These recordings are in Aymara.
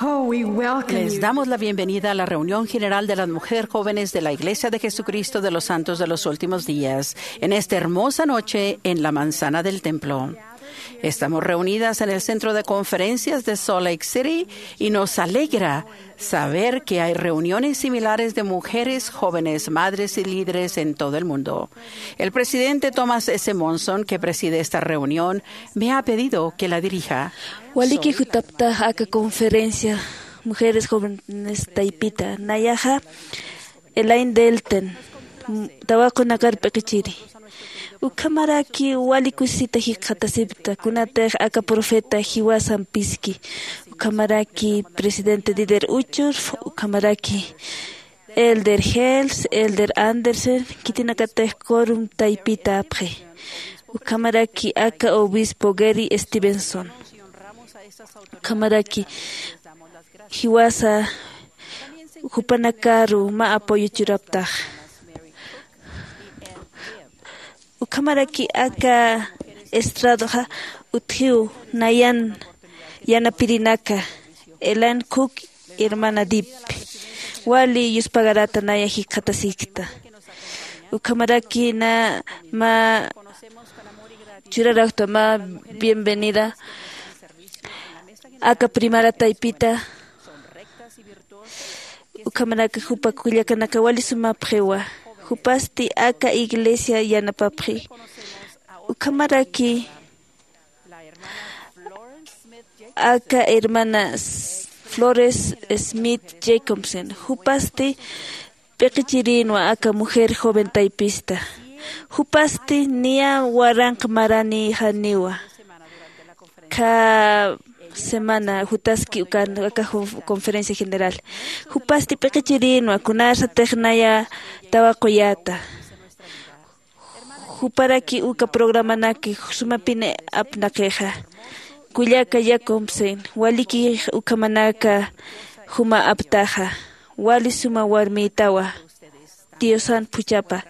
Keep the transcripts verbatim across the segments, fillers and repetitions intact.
Oh, we welcome Les you. Damos la bienvenida a la reunión general de las mujeres jóvenes de la Iglesia de Jesucristo de los Santos de los Últimos Días, en esta hermosa noche en la manzana del templo. Estamos reunidas en el centro de conferencias de Salt Lake City y nos alegra saber que hay reuniones similares de mujeres, jóvenes, madres y líderes en todo el mundo. El presidente Thomas S. Monson, que preside esta reunión, me ha pedido que la dirija. Waliki jutapta aka conferencia Mujeres Jóvenes Taypita, nayaxa Elaine Delton, m-, tawaqunakar p'iqichiri. Ukhamaraki wali kusisita jikxatasipta, kunatix aka profeta jiwasan piski. Ukhamaraki presidente Dieter Uchtdorf, ukhamaraki Elder Hales, Elder Andersen, khitinakatix quorum taypita apxi. Ukhamaraki aka obispo Gary Stevenson. Ukhamaraki jiwasa jupanakaru mä apoyo churaptax. Ukhamaraki aka estradoxa utjiw nayan yanapirinaka, Elan Cook, hermana Deep. Wali yuspagarata naya jikxatasikta. Ukhamaraki na mä churaraqta mä bienvenida aka primera taypita. Ukhamaraki jupa kullakanaka wali sumapxiwa. Jupasti aka iglesia yanapapxi. Ukhamaraki aka hermana S-, Flores Smith Jacobsen. Jupasti p'iqichirinwa aka mujer joven taypista. Jupasti niya waranq maranïxaniwa. Kha semana jutaski ukan aka conf-, conferencia general. Jupasti p'iqichirinwa kunasatix naya tawaquyäta. Juparaki uka programanaki sumapini apnaqixa. Kullaka Jacobsen, waliki ukhamanaka juma aptaxa. Wali suma warmïtawa. Diosan phuchhapa.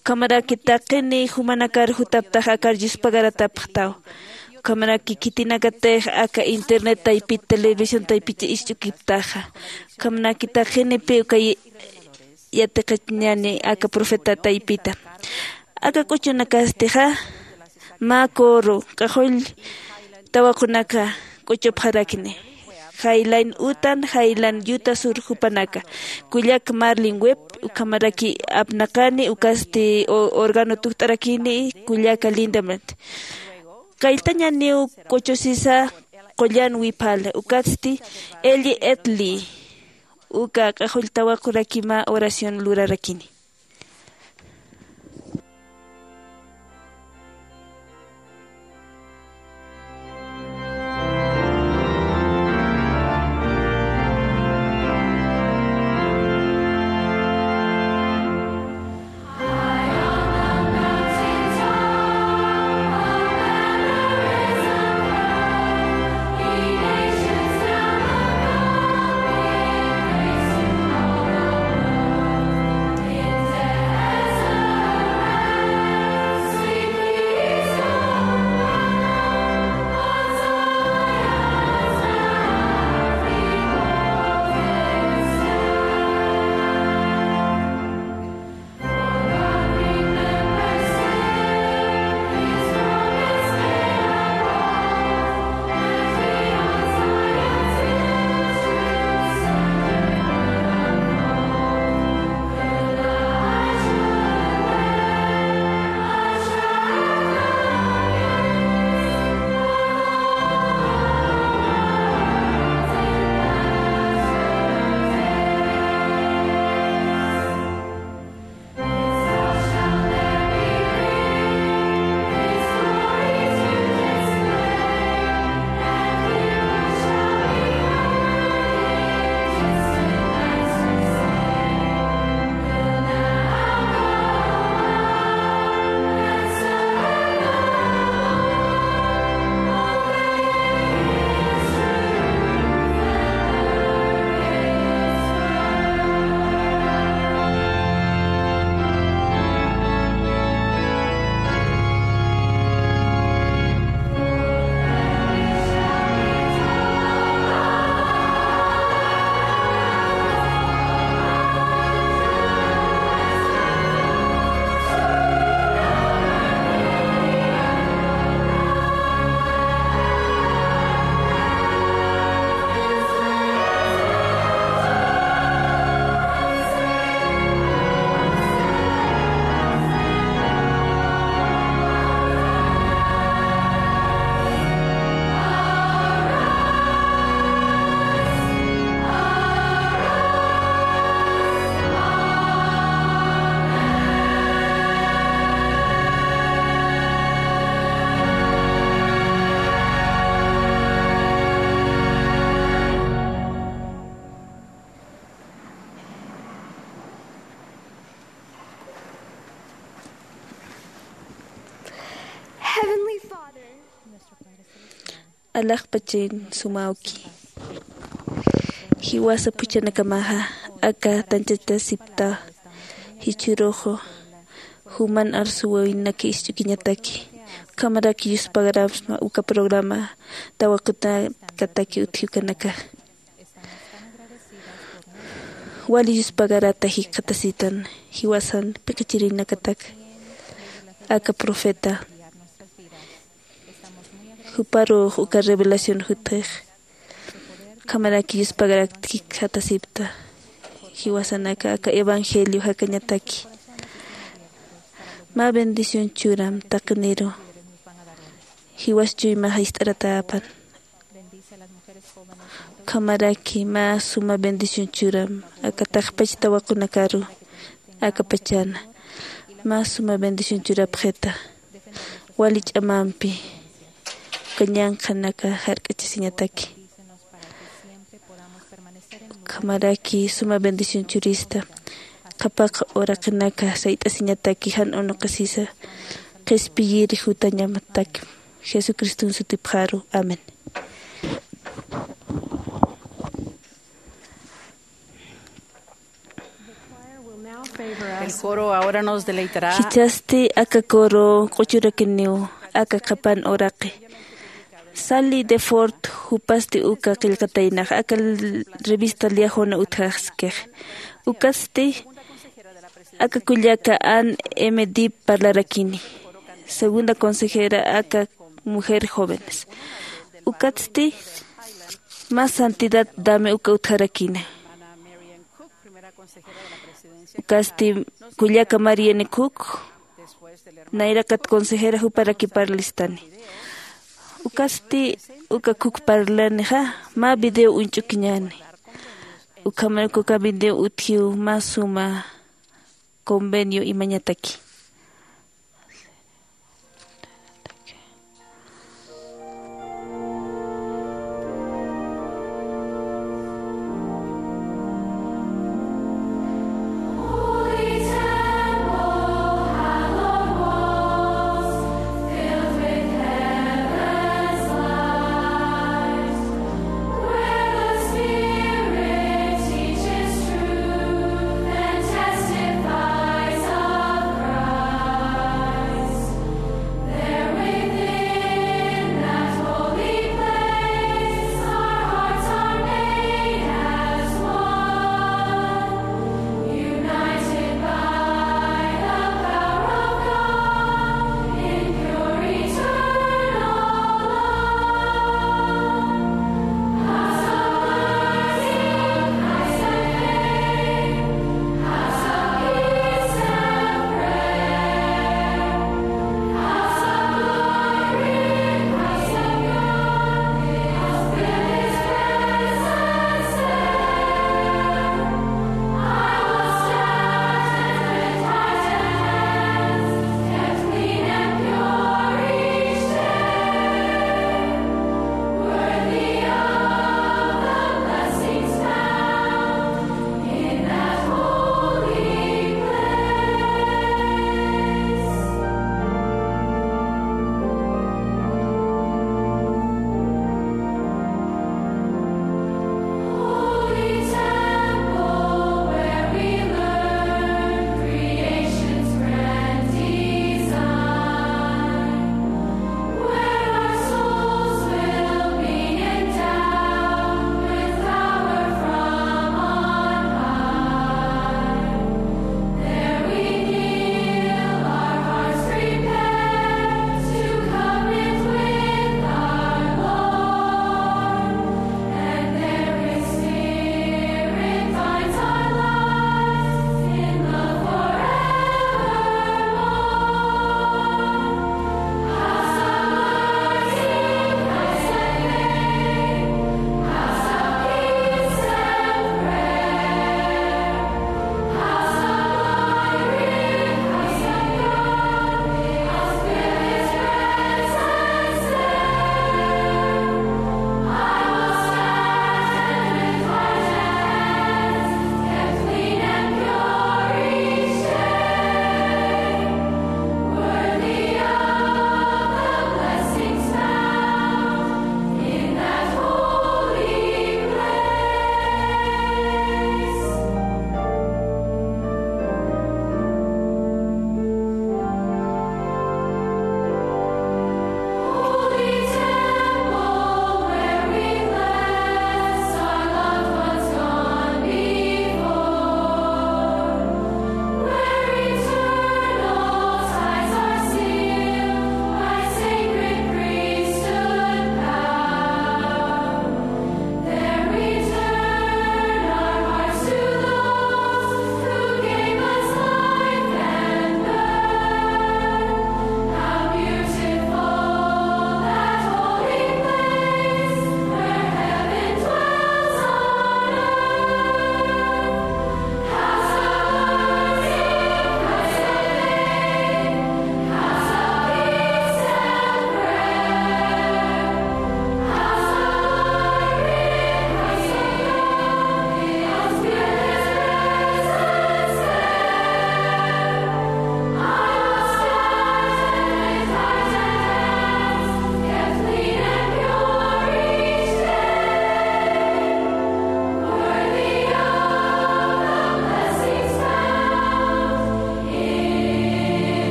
Ukhamaraki taqini jumanakar jutaptax akar yuspagaratapxtaw. Ukhamaraki khitinakatix aka internet taypit, televisión taypit isch'ukiptaxa. Ukhamaraki taqinipi uka y-, yatiqañani aka profeta taypita. Aka k'uchunakastixa, mä coro, q'axull tawaqunaka k'uchupxarakini. Jaylan utan, jaylan yuta sur jupanaka. Kullak Marlin Webb, ukhamaraki apnaqani, ukasti o-, órgano tukt'arakini, kullaka Lindemann. Kalltañaniw k'uchusisa qullan wiphala, ukatsti Ellie Edley. Uka q'axull tawaquraki mä oración lurarakini. Alaxpachin sumawki. Jiwasa phuchhanakamaxa aka tanchatasipta, jichhüruxu juman arsuwinaki ist'ukiñataki. Ukhamaraki yuspagarapxsma uka programa tawaqutanakataki utji ukanaka. Wali yuspagarata jikxatasitan jiwasan piqichirinakatak aka profeta. Juparux uka revelación jutix. Ukhamaraki yuspagarakta jikxatasipta. Jiwasanaka aka evangelio jakañataki. Mä bendición churam taqiniru. Jiwas chuymaxa ist'aratäpan. Ukhamaraki mä suma bendición churam aka taqpach tawaqunakaru aka pachana. Mä suma bendición churapxita. Wali ch'amampi uka ñanqhanaka jark'achasiñataki. Ukhamaraki suma bendición churista. Qhapaq uraqinaka sayt'asiñataki jan unuqisisa qhispiyiri jutañamataki. Jesucriston sutipxaru. Amén. El coro ahora nos deleitará. Jichhasti aka coro q'uchurakiniw aka qhapan uraqi. Sally Deford jupasti uka qillqataynax aka l-, revista Liahona utjaskix. Ukatsti aka kullaka Ann M. Dibb parlarakini, segunda consejera aka Mujer Jóvenes. Ukatsti mä Santidad Dame uka utjarakini. Ukatsti kullaka Marianne Cook, nayraqat consejera juparaki parlistani. Ukatsti uka Cook parlanixa mä video uñch'ukiñäni. Ukhamaraki uka video utjiw mä suma convenio imañataki.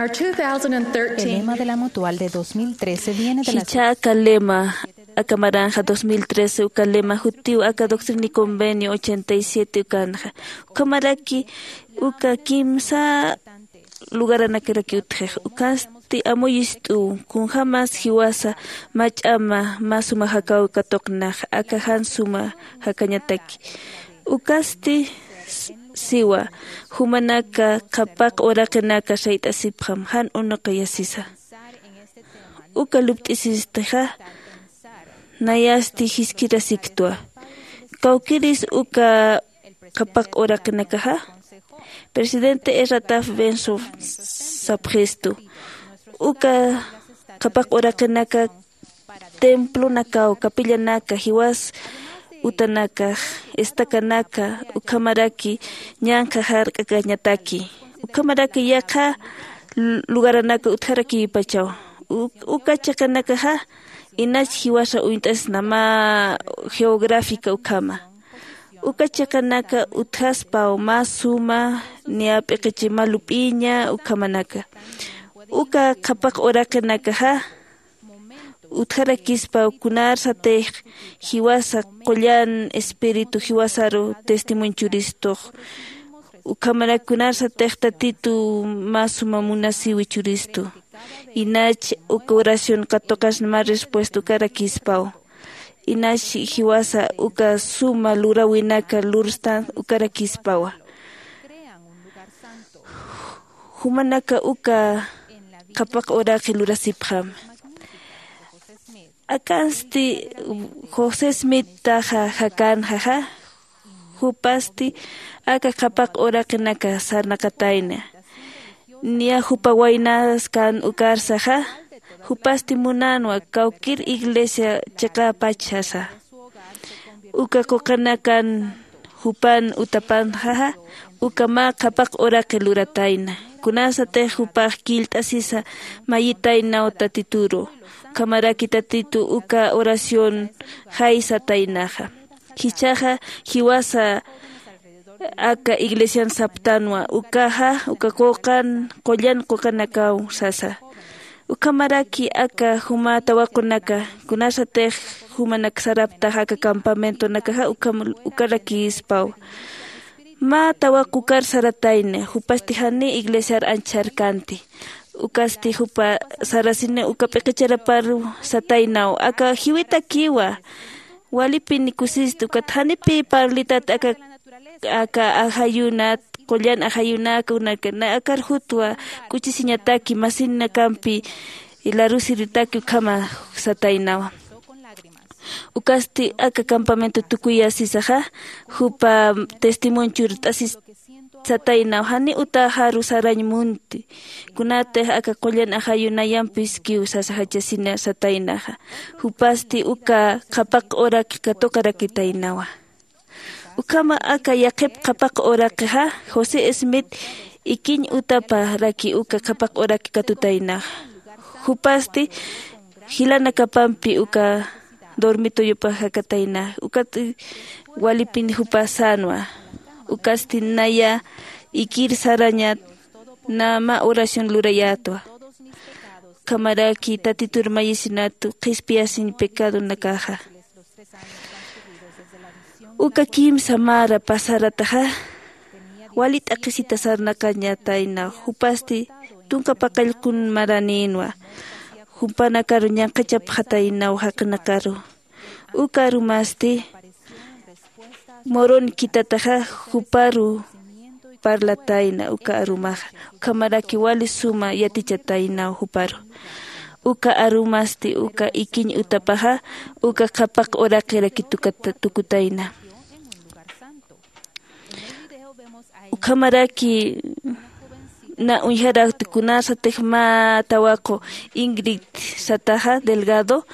El lema de la Mutual de dos mil trece viene de la... Jichha aka lema, aka maranxa dos mil trece uka lema jutiw aka Doctrina y Convenio ochenta y siete ukanxa. Ukhamaraki uka kimsa lugaranakaraki utjix. Ukansti amuyist'uw, kunjämas jiwasa mach'ama mä suma jakaw katuqnax, aka jan suma jakañataki. Ukasti s-, siwa, jumanaka qhapaq uraqinaka sayt'asipxam, jan unuqiyasisa. Uka lupt'isistixa, nayasti jiskirasiktwa. Kawkiris uka qhapaq uraqinakaxa, presidente Ezra Taft Benson sapxistu. Uka qhapaq uraqinaka templonakaw, capillanaka, jiwas utanakax, estacanaka, ukhamaraki ñanqha jark'akañataki. Ukhamaraki yaqha lu-, lugaranaka utjarakipachaw. U-, uka chiqanakaxa, inach jiwasa uñt'asna mä geográfica ukhama. Uka chiqanaka utjaspaw mä suma, niya p'iqichi mä lup'iña ukhamanaka. Uka qhapaq uraqinakaxa, utjarakispaw kunarsatix jiwasa qullan espíritu jiwasaru testimonio churistux. Ukhamarak kunarsatix Tatitu mä suma munasiwi churistu. Inach uka oración katuqasna mä respuesta ukarakispaw. Inach jiwasa uka suma luräwinaka lurstan ukarakispawa. Jumanaka uka qhapaq uraqi lurasipxam. Akansti José Smith taxa jakanxaxa, jupasti aka qhapaq uraqinaka sarnaqatayna. Niya jupa waynas kan ukarsaxa, jupasti munanwa kawkir iglesia chiqäpachasa. Uka quqanakan jupan utapanxaxa, uka mä qhapaq uraqi luratayna. Kunasatix jupax killt'asisa mayitaynaw Tatituru. Ukhamaraki Tatitu uka oración jaysataynaxa. Jichhaxa jiwasa aka iglesian saptanwa, ukaxa, uka quqan, qullan quqanakaw sasa. Ukhamaraki aka juma tawaqunaka, kunasatix jumanak saraptaxa aka campamentonakaxa, ukham-, ukarakispaw. Mä tawaq ukar saratayna, jupasti jani iglesiar anchharkanti. Ukasti jupa sarasini uka p'iqicharapar sataynaw, aka jiwitakiwa. Walipin kusisti, ukat janipi parlitat aka, aka ajayunat, qullan ajayunaka, unaka, na akar jutwa k'uchisiñataki, masinakampi larusiritaki ukhama sataynawa. Ukasti aka campamento tukuyasisaxa, jupa testimonio churt'asis sataynaw, jani utaxaru sarañ munti. Kunatix aka qullan ajayunayampiskiw sasa jachasina sataynaxa. Jupasti uka qhapaq uraq katuqarakitaynawa. Ukhama aka yaqhip qhapaq uraqixa, José Smith ikiñ utaparaki uka qhapaq uraq katutaynaxa. Jupasti jilanakapampi uka dormitoyupax jakatayna, ukat walipin jupa sänwa. Ukasti naya ikir sarañat, na mä oración lurayätwa. Ukhamaraki Tatitur mayisinatu qhispiyasiñ pecadonakaxa. Uka kimsa mara pasarataxa, wali t'aqhisita sarnaqañatayna, jupasti tunka paqallqun maranïnwa, jumpanakaru ñanqhachapxataynaw jaqinakaru. Uka arumasti, Morón kitataxa juparu parlatayna uka arumaxa, ukhamaraki wali suma yatichataynaw juparu. Uka arumasti uka ikiñ utapaxa, uka qhapaq uraqiraki tukata-, tukutayna. Ukhamaraki na uñjarakti kunasatix mä tawaqu Ingrid sataxa Delgado,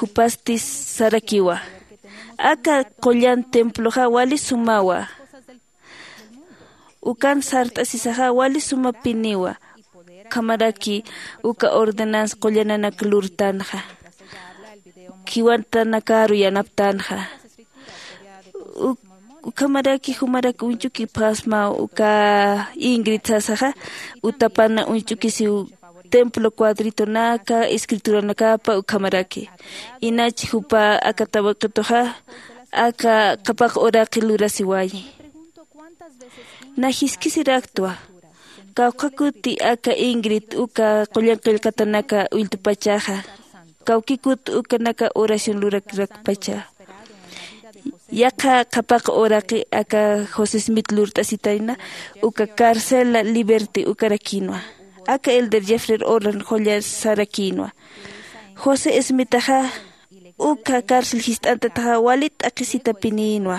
jupasti sarakiwa. Aka qullan temploxa wali sumawa. Ukan sart'asisaxa wali sumapiniwa. Ukhamaraki uka ordenanza qullananak lurtanxa. Jiwatanakaru yanaptanxa. Uk-, Ukhamaraki jumarak uñch'uki phasmaw uka Ingrid sasaxa, utapana uñch'ukisiw templo cuadritonaka escrituranakapa ukhamaraki. Inach jupa aka tawaqituxa aka qhapaq uraqi lurasiwayi. Na jiskisiraktwa kawkhakuti aka Ingrid uka qullan qillqatanaka ulltupachaxa, kawkikut ukanaka oración lurakirakpacha. Yaqha qhapaq uraqi aka José Smith lurt'asitayna uka carcela liberty ukarakïnwa. Aka elder Jeffrey Holland qullan sarakïnwa. José Smithaxa uka cárcel jist'antataxa wali t'aqhisitapinïnwa.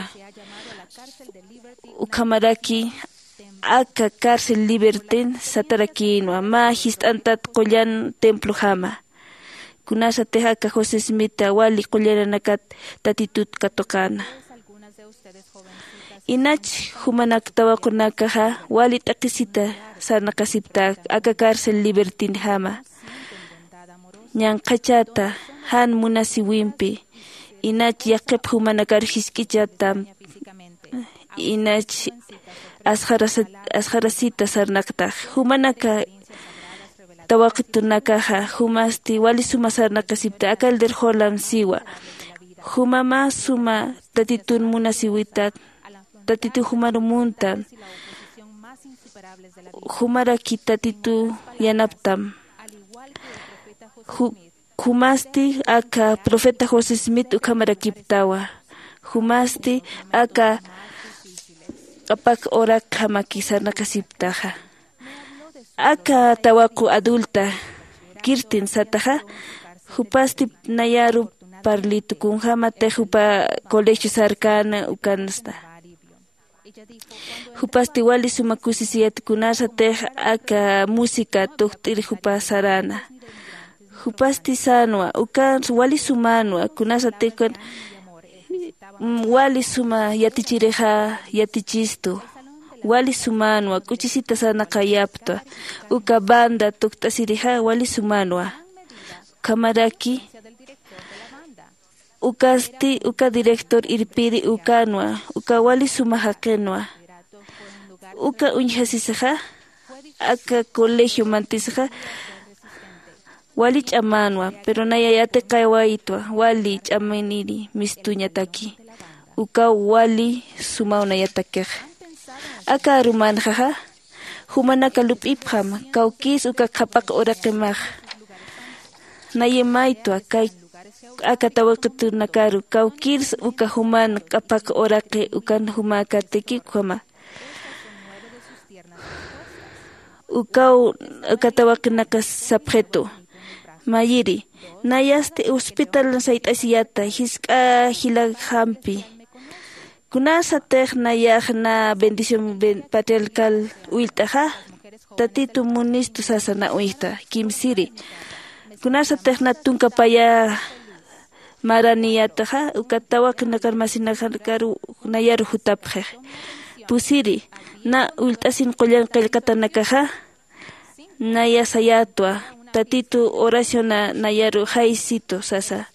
Ukhamaraki aka cárcel libertyn satarakïnwa mä jist'antat qullan templojama. Kunasatix aka José Smitha wali qullananakat tatitut katuqäna. Inach jumanak tawaqunakaxa wali t'aqhisita sarnaqasipta aka cárcel libertynjama. Ñanqhachata jan munasiwimpi inach yaqhip jumanakar jisk'ichatam. Inach asxarasita sarnaqtax jumanaka tawaqitunakaxa jumasti wali suma sarnaqasipta aka elder Holland siwa. Juma mä suma tatitun munasiwitat tatitu jumaru muntan. Jumaraki tatitu yanaptam. Jumasti aka profeta José Smith ukhamarakiptawa. Jumasti aka q'apak uraqjamaki sarnaqasiptaxa. Aka tawaqu adulta Kirsten sataxa jupasti nayaru parlitu kunjämatix jupa colegio sarkäna ukansta. Jupasti wali suma kusisiyat kunasatix aka música tukt'ir jupa saräna. Jupasti sänwa ukan wali sumänwa kunasatix ukan wali suma yatichirixa yatichistu. Wali sumänwa k'uchisita sarnaqayaptwa. Uka banda tukt'asirixa wali sumänwa. Ukhamaraki ukasti uka director irpiri ukanwa uka wali suma jaqinwa. Uka uñjasisaxa aka colegio mantisixa wali ch'amänwa pero naya yatiqawaytwa wali ch'aminiri mistuñataki. Ukaw wali sumaw nayatakixa. Aka arumanxaxa jumanaka lup'ipxam kawkïrs uka qhapaq uraqimax. Nayimaytwa kay aka tawaqitunakaru kawkïrs uka juman q'apaq uraqi ukan jumäkatiki ukhama. Ukaw uka tawaqinaka sapxitu mayiri nayasti hospital sayt'asiyata jisk'a jilakxampi. Kunasatix nayax na bendición patriarcal ullt'axa tatitu munistu sasa na uñjta kimsiri. Kunasatix na tunka paya maraniyataxa uka tawaqinakar masinakar nayaru jutapxix. Pusiri na ullt'asin qullan qillqatanakaxa naya sayätwa tatitu oraciona nayaru jaysitu sasa.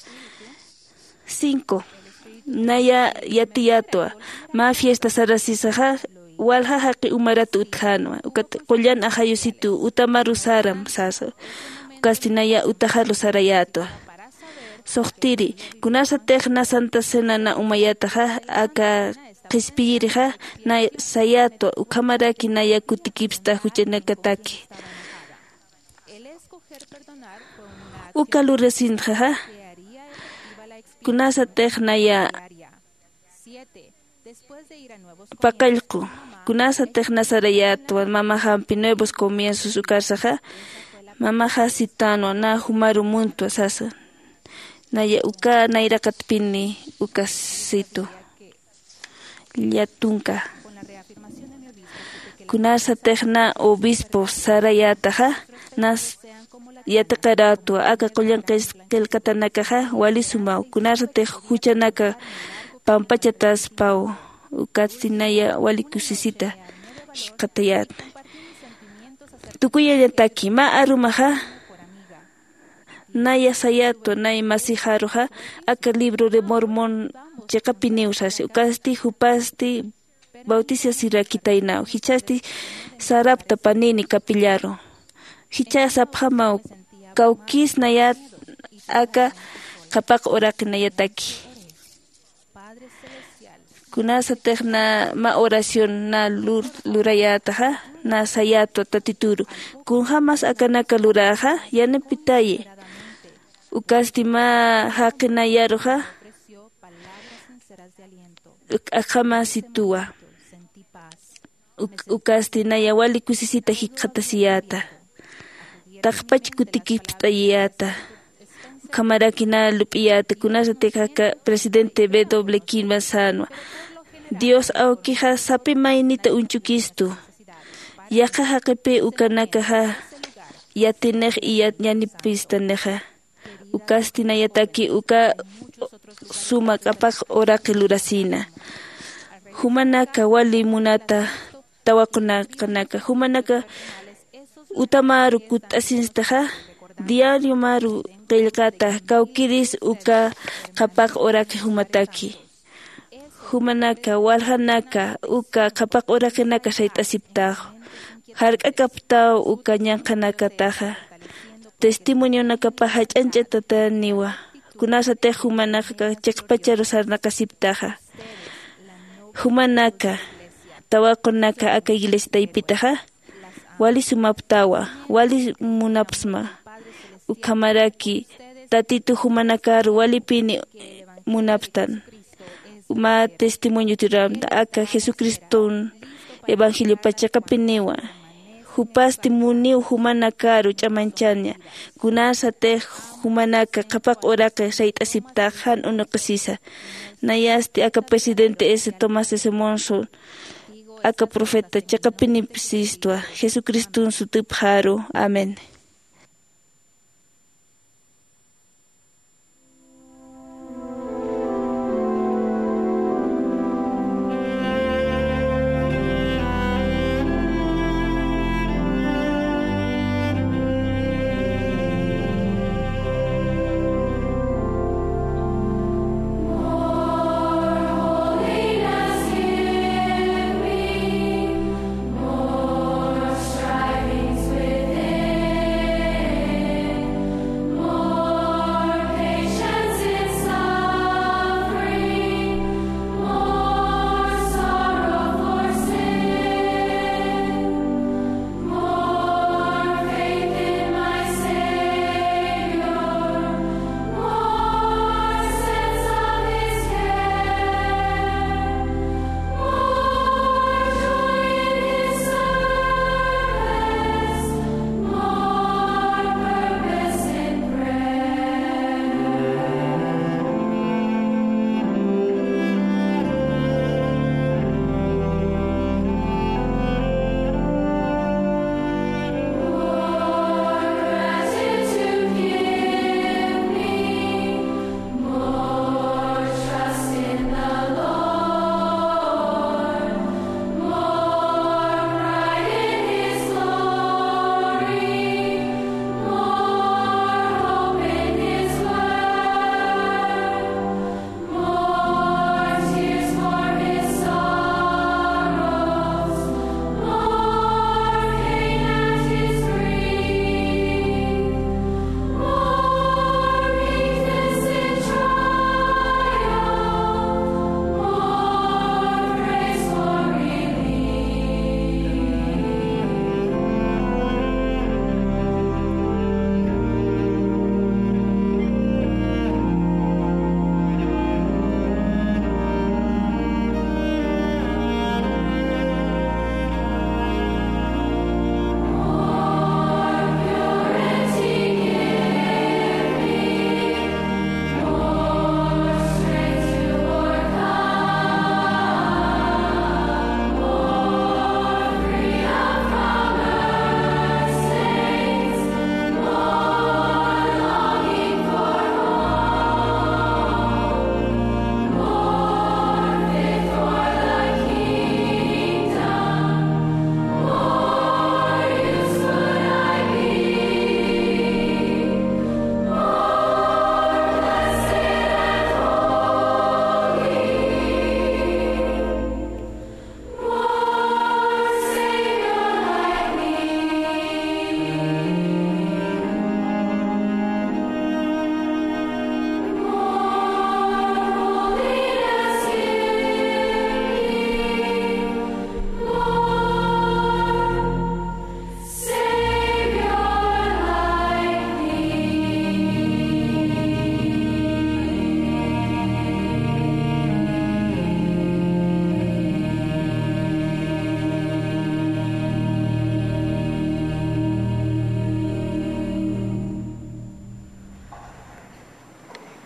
Cinco naya yatiyätwa mä fiesta sarasisaxa walja jaqi umarat utjänwa ukat qullan ajayusitu utamaru saram sasa. Ukasti naya utaxaru sarayätwa. Suxtiri kunasatix na santa cena na umayataxa aka qhispiyirixa na sayätwa ukhamaraki naya kutikipsta juchanakataki. Uka lurasintxaxa kunasatix naya paqallqu kunasatix na sarayätwa mamaxampi nuevos comienzos ukarsaxa mamaxa sitänwa na jumaru muntwa sasa. Naya uka nayraqatpini uka situ llatunka. Kunasatix na obispo sarayätaxa nas yatiqarätwa aka qullan qillqatanakaxa wali sumaw kunasatix juchanaka pampachataspaw. Ukatsti naya wali kusisita jikxatayätna. Tukuyañataki mä arumaxa naya sayätwa nay masixaruxa aka libro de mormón chiqapiniw sasi. Ukasti jupasti bautisasirakitaynaw. Jichhasti sarapta panini kapillaru. Jichha sapxamaw kawkïs nayat aka qhapaq uraqi nayataki. Kunasatix na mä oración na lur-, lurayätaxa, na sayätwa Tatituru. Kunjämas akanaka luräxa, yanipitayi. Ukasti mä jaqi nayaruxa, uk-, akhamasituwa. Uk-, ukasti naya wali kusisita jikxatasiyäta. Taqpach kutikipt'ayiyäta. Ukhamaraki na lup'iyäta, kunasatix aka presidente W. Kimball sänwa. Dios awkixa sapi maynita uñchukistu. Yaqha jaqipï ukanakaxa yatinix y ya-, yanipistanïxa. Ukasti nayataki uka suma qhapaq uraqi lurasina. Jumanaka wali munata tawaqunaqanaka. Jumanaka utamaru kutt'asinstaxa, diariomaru qillqata kawkïris uka qhapaq uraqi jumataki. Jumanaka, waljanaka, uka qhapaq uraqinaka sayt'asiptax. Jark'akaptaw uka ñanqhanakataxa. Testimonionakapax jach'añch'atataniwa. Kunasatix jumanaka chiqpacharu sarnaqasiptaxa. Jumanaka, tawaqunaka aka iglesia taypitaxa. Wali sumaptawa, wali munapsma. Ukhamaraki, Tatitu jumanakaru walipini munapstan. Mä testimonio tiramta, aka Jesucriston evangeliopa chiqapiniwa. Jupasti muniw jumanakaru ch'amañchaña. Kunasatix jumanaka qhapaq uraqi sayt'asiptax jan unuqisisa. Nayasti aka presidente S. Thomas S. Monson, aka profeta chiqapinipsistwa, Jesucriston sutipxaru. Amén.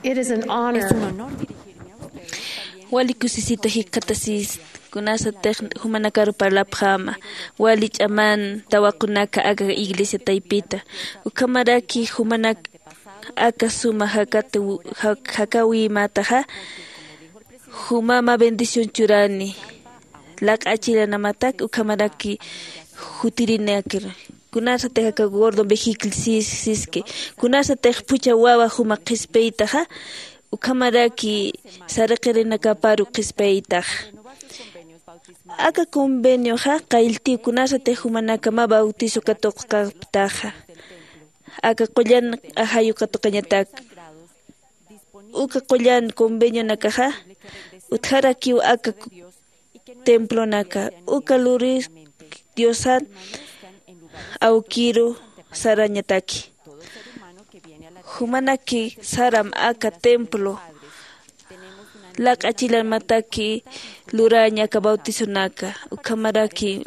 It is an honor. Wali kusisita jikxatasist, kunasatix jumanakaru parlapxäma, wali ch'aman tawaqunaka aka iglesia taypita. Ukhamaraki jumanak aka suma jakat-, jak-, jakäwimätaxa, juma mä bendición churani, laq'achilanamatak ukhamaraki jutirinakir. Kunasatix aka gordo vejicle sis-, siski, kunasatix phuchha wawa juma qhispiytaxa, ukhamaraki saraqirinakäparu qhispiytax. Aka convenioxa qaylltiw kunasatix jumanaka mä bautizo katuqkaptaxa, aka qullan ajayu katuqañatak. Uka qullan convenionakaxa utjarakiw aka templonaka, uka luris Diosat awkiru sarañataki. Jumanaki saram aka templo laq'achilamataki luraña aka bautizonaka, ukhamaraki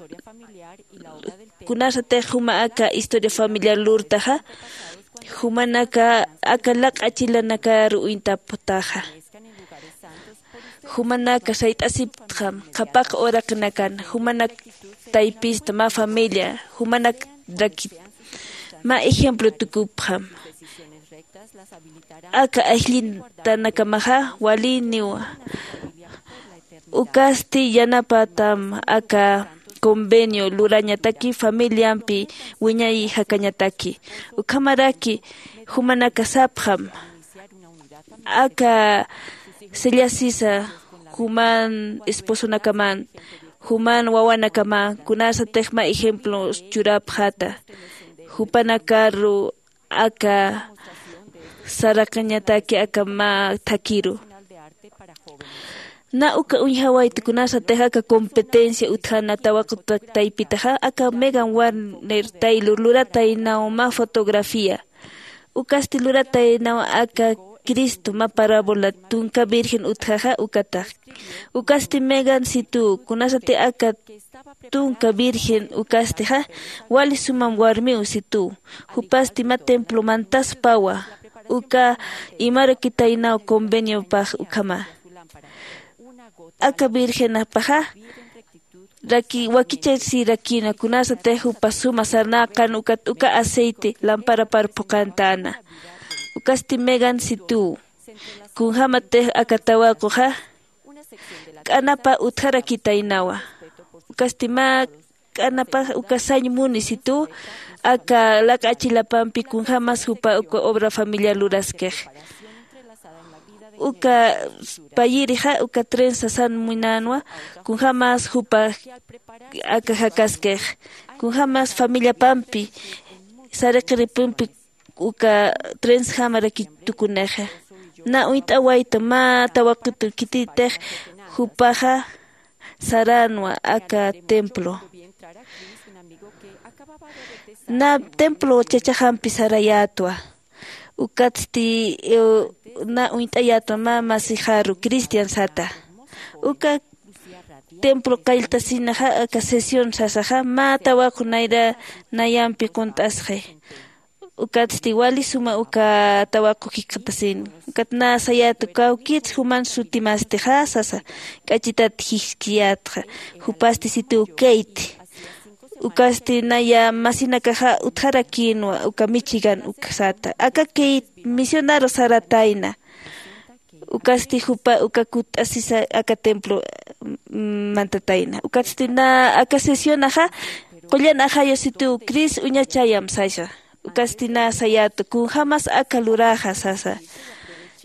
kunasatix juma aka historia familiar lurtaxa, jumanaka aka laq'achilanakaru uñtaptaxa. Jumanaka sayt'asiptxam qhapaq uraqinakan, jumanak taypista mä familia, jumanakrakit mä ejemplo tukupxam. Aka ayllitankamaxa waliniwa. Ukasti yanapatam aka convenio lurañataki familiampi wiñay jakañataki. Ukhamaraki jumanaka sapxam, aka sellasisa juman esposonakaman, juman wawanakaman, kunasatix mä ejemplo churapxäta, jupanakaru aka saraqañataki aka mä thakiru. Na uka uñjawayta kunasatix aka competencia utjana tawaqu taypitaxa, aka Megan Warner Taylor lurataynaw mä fotografía. Ukasti lurataynaw aka Cristo mä parábola tunka virgen utjaxa ukatax. Ukasti Megan Situ, kunasati aka tunka virgen ukastixa, wali sumam warmiw Situ. Jupasti mä templo mantaspawa, uka imarakitaynaw conveniopax ukhama. Aka virgenapaxa raki-, wakichasirakina, kunasatix jupa suma sarnaqan ukat uka aceite lamparapar phuqantäna. Ukasti Megan Situ, kunjämatix aka tawaquxa k'anapa utjarakitaynawa. Ukasti mä k'anapa uka sañ muni Situ, aka laq'achilapampi kunjämas jupa uka obra familiar luraskix. Uka payirixa uka trenza san munänwa, kunjämas jupa aka jakaskix, kunjämas familiapampi saraqiripampi uka trenzjamarakitukunix. Na uñt'awayta mä tawaqutu khititix jupaxa saränwa aka templo. Na templo chachaxampi sarayätwa. Ukatsti, eh, na uñt'ayätwa mä masixaru Cristian sata. Uka templo qalltasinaxa aka sesión sasaxa mä tawaqu nayra nayampi qunt'asxi. Ukatsti wali suma uka tawaqu jikxatasin. Ukat na sayätwa kawkits juman sutimastixa sasa, k'achitat jiskiyätxa, jupasti Situ Kate. Ukasti naya masinakaxa utjarakïnwa uka Michigan uksata. Aka Kate misionaru saratayna. Ukasti jupa uka kutt'asisa aka templo, mm, mantatayna. Ukatsti na aka sesionaxa qullan ajayu Situ Cris uñachayam sasa. Ukasti na sayätwa kunjämas aka luraxa sasa.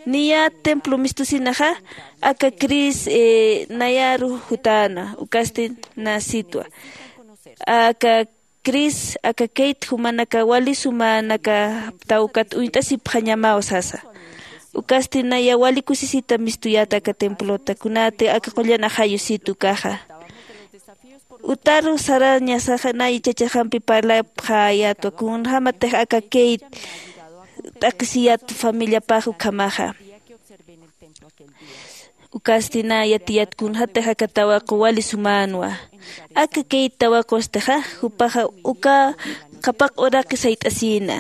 Niya templo mistusinaxa aka Cris, eh, nayaru jutäna. Ukasti na Sitwa. Aka Cris, aka Kate jumanaka wali sumanaka tawkat uñt'asipxañamaw sasa. Ukasti naya wali kusisita mistuyät aka templota, kunati aka qullan ajayu Situ ukaxa. Utaru sarañasaxa nay chachaxampi parlapxayätwa, kunjämatix aka Kate t'aqhisiyät familiapax ukhamaxa. Ukasti na yatiyät kunjätix aka tawaqu wali sumänwa. Aka Kate tawaqustixa, jupaxa uka qhapaq uraqi sayt'asïna.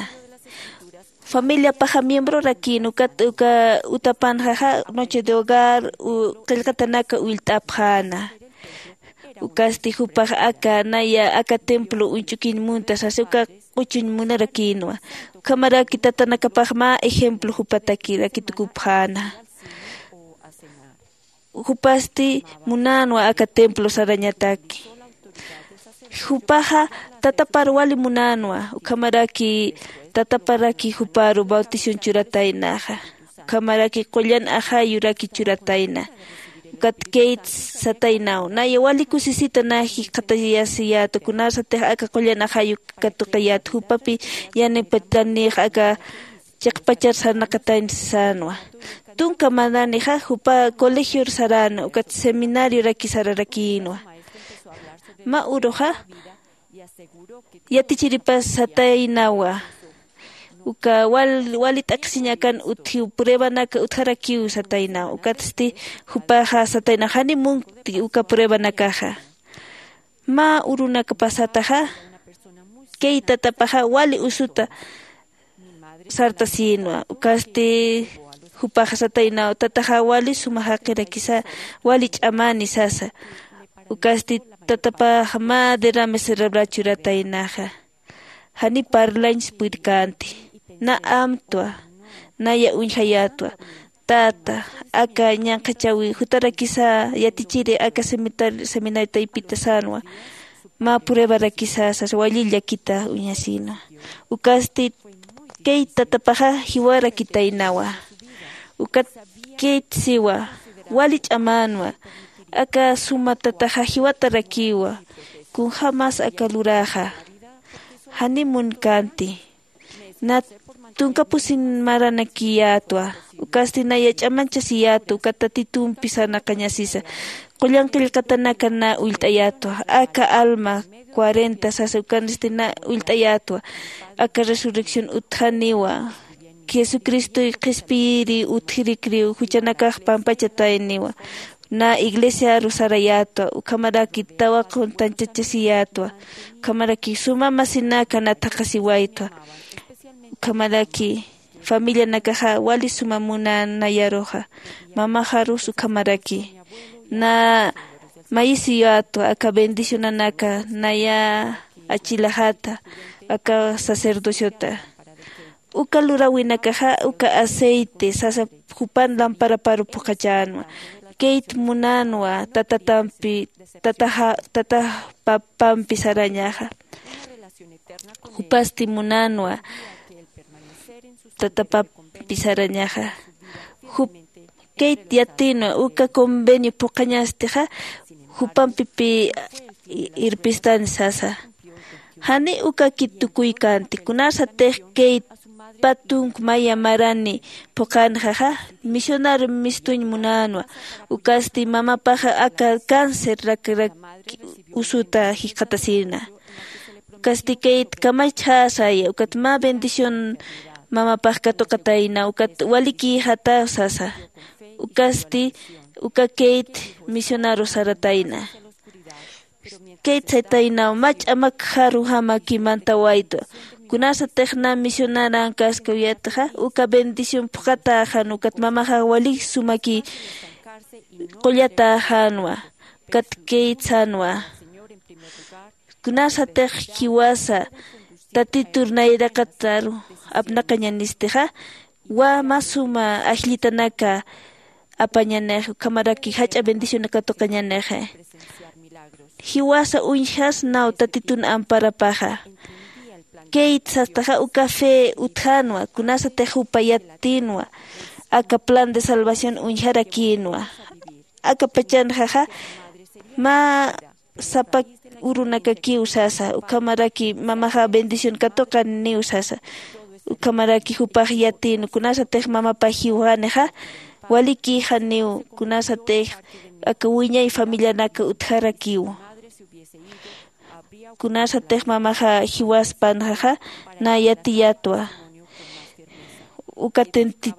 Familiapaxa miembrorakïn ukat uka utapanxaxa noche de hogar qillqatanaka ullt'apxäna. Ukasti jupax aka naya aka templo uñch'ukiñ munta sasa uka q'uchuñ munarakïnwa. Ukhamaraki tatanakapax mä ejemplo jupatakiraki tukupxäna. Jupasti munänwa aka templo sarañataki. Jupaxa tatapar wali munänwa ukhamaraki tataparaki juparu bautisun churataynaxa. Ukhamaraki qullan axayuraki churatayna. Ukat kayt sataynaw naya wali kusisita nä jikxatayasiyäta kunasatix aka qullan axayu katuqiyäta jupapi yanipatanix aka chiqpachar sarnaqatayn sänwa. Tunka mananixa jupa colegior saräna ukat seminarioraki sararakïnwa. Mä uruxa yatichiripas sataynawa uka wali t'aqhisiñ akan utjiw pruebanaka utjarakiw sataynaw ukatsti jupaxa sataynaw jani munkti uka pruebanakaxa. Mä urunakapasataxa kay tatapaxa wali usuta sartasïnwa ukasti jupaxa sataynaw tataxa wali suma jaqirakisa wali ch'amani sasa. Ukasti tatapax mä derrame cerebral churataynaxa. Jani parlañs purkänti nä amtwa naya uñjayätwa. Tata aka ñanqhachawi jutarakisa yatichiri aka seminari taypita sänwa. Mä pruebarakisa sasa wali llakita uñasïnwa. Ukasti kayt tatapaxa jiwarakitaynawa. Ukat kayt siwa wali ch'amänwa. Aka suma tataxa jiwatarakiwa. Kunjämas aka luräxa janiw munkänti. Nä tunka pusin maranakiyätwa. Ukasti naya ch'amanchasiyätwa ukat tatitumpi sarnaqañasisa. Qullan qillqatanaka nä ullt'ayätwa aka alma cuarenta sasa ukanisti nä ullt'ayätwa. Aka resurrección utjaniwa. Jesucristoy qhispiyiri utjirikriw juchanakax pampachatayniwa. Nä iglesiaru sarayätwa ukhamaraki tawaqun tanchachasiyätwa. Ukhamaraki suma masinaka nat jaqasiwaytwa. Ukhamaraki familianakaxa wali suma munän nayaruxa. Mamaxarus ukhamaraki nä mayisiyätwa aka bendicionanaka naya achilaxata aka sacerdociota. Uka luräwinakaxa uka aceite sasa jupan lamparaparu phuqhachänwa. Kayt munänwa tatatampi tataxa tatax papampi sarañaxa. Jupasti munänwa tatapampi sarañaxa. Jup kayt yatïnwa uka convenio phuqhañastixa jupampipi irpistani sasa. Janiw ukakit tukuykänti kunasatix kayt patunk maya marani phuqhanxaxa misionar mistuñ munänwa. Ukasti mamapaxa aka cáncer rakrak usuta jikxatasïna. Ukasti kayt kamachjäsaya ukat mä bendición mamapax katuqatayna ukat walikïxataw sasa. Ukasti uka kayt misionaru saratayna. Kayt saytaynaw mä ch'amakjaru jamaki mantawaytwa. Kunasatix nä misionaran kaskawayatxa uka bendición phuqhatäxan ukat mamaxa walik sumaki qullatäxänwa. Ukat kayt sänwa kunasatix jiwasa tatitur nayraqataru apnaqañanistixa wä mä suma ajllitanaka apañanix ukhamaraki jach'a bendicionaka tuqañanixi. Jiwasa uñjasnaw tatitun amparapaxa. Kayt sastaxa uka fe utjänwa kunasatix jupa yatïnwa aka plan de salvación uñjarakïnwa. Aka pachanxaxa mä sapa urunakakiw sasa ukhamaraki mamaxa bendición katuqaniw sasa. Ukhamaraki jupax yatïn kunasatix mamapax jiwxanixa walikïxaniw kunasatix aka wiñay familianaka utjarakiw. Kunasatix mamaxa jiwaspanxaxa nä yatiyätwa. Uka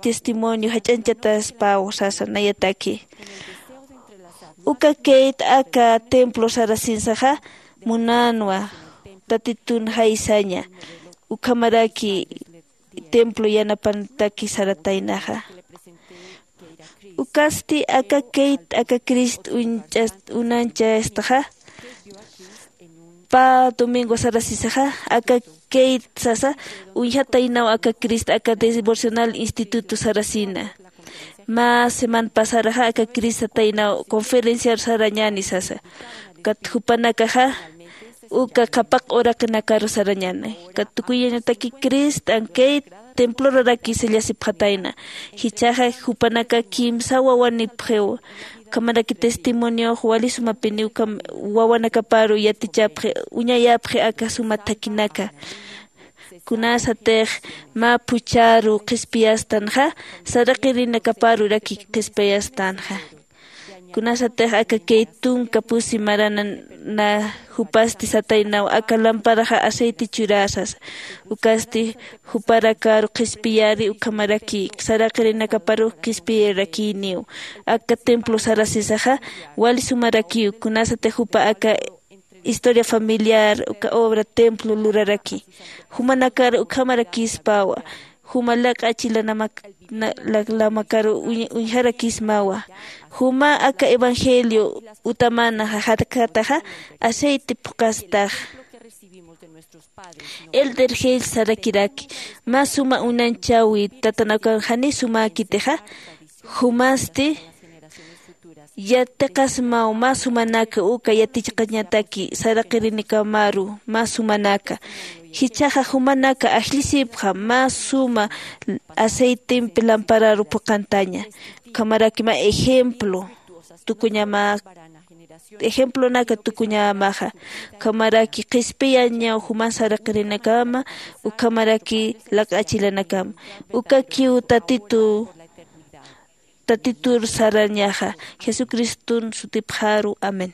testimonio jach'añchataspaw sasa nayataki. Uka kayt aka templo sarasinsaxa munänwa tatitun jaysaña ukhamaraki templo yanapantaki sarataynaxa. Ukasti aka keyt aka Crist uñch'ast unanchastaxa, pa domingo sarasisaxa, aka keyt sasa uñjataynaw aka Crist aka devocional instituto sarasina. Mä semana pasaraxa aka Crist sataynaw conferenciar sarañani sasa. Kat jupanakaxa uka qhapaq uraqinakaru sarañani. Kat tukuyañataki Crist ankey temploraraki sallasipxatayna. Jichhaxa jupanaka kimsa wawanipxiw. Ukhamaraki testimoniox wali sumapiniw kam wawanakaparu yatichapxi uñayapxi aka suma thakinaka. Kunasatix mä phuchharu qhispiyastanxa, saraqirinakaparuraki qhispiyastanxa. Kunasatix aka key tunka pusi marana jupasti sataynaw aka lamparaxa aceite churasas. Ukasti juparakaru qhispiyari ukhamaraki saraqirinakaparux qhispiyarakiniw. Aka templo sarasisaxa wali sumarakiw. Kunasatix jupa aka historia familiar uka obra templo luraraki. Jumanakar ukhamarakispawa. Juma lak'achi lanamakaru uñjarakismawa. Juma aka evangelio utamana jajatkataxa aceite phuqastax. Elder Hales sarakiraki mä suma unanchawi tatanakaw jani sumäkitixa. Jumasti yatiqasmaw mä sumanaka uka yatichaqañataki saraqirinakamaru mä sumanaka. Jichhaxa jumanaka ajllisipxa mä suma aceitempi lampararu phuqantaña. Ukhamaraki mä ejemplo tukuñama ejemplonaka tukuñamaxa. Ukhamaraki qhispiyañaw juman saraqirinakama ukhamaraki lak'achilanakama. Ukakiw tatitu tatitur sarañaxa. Jesucriston sutipxaru amén.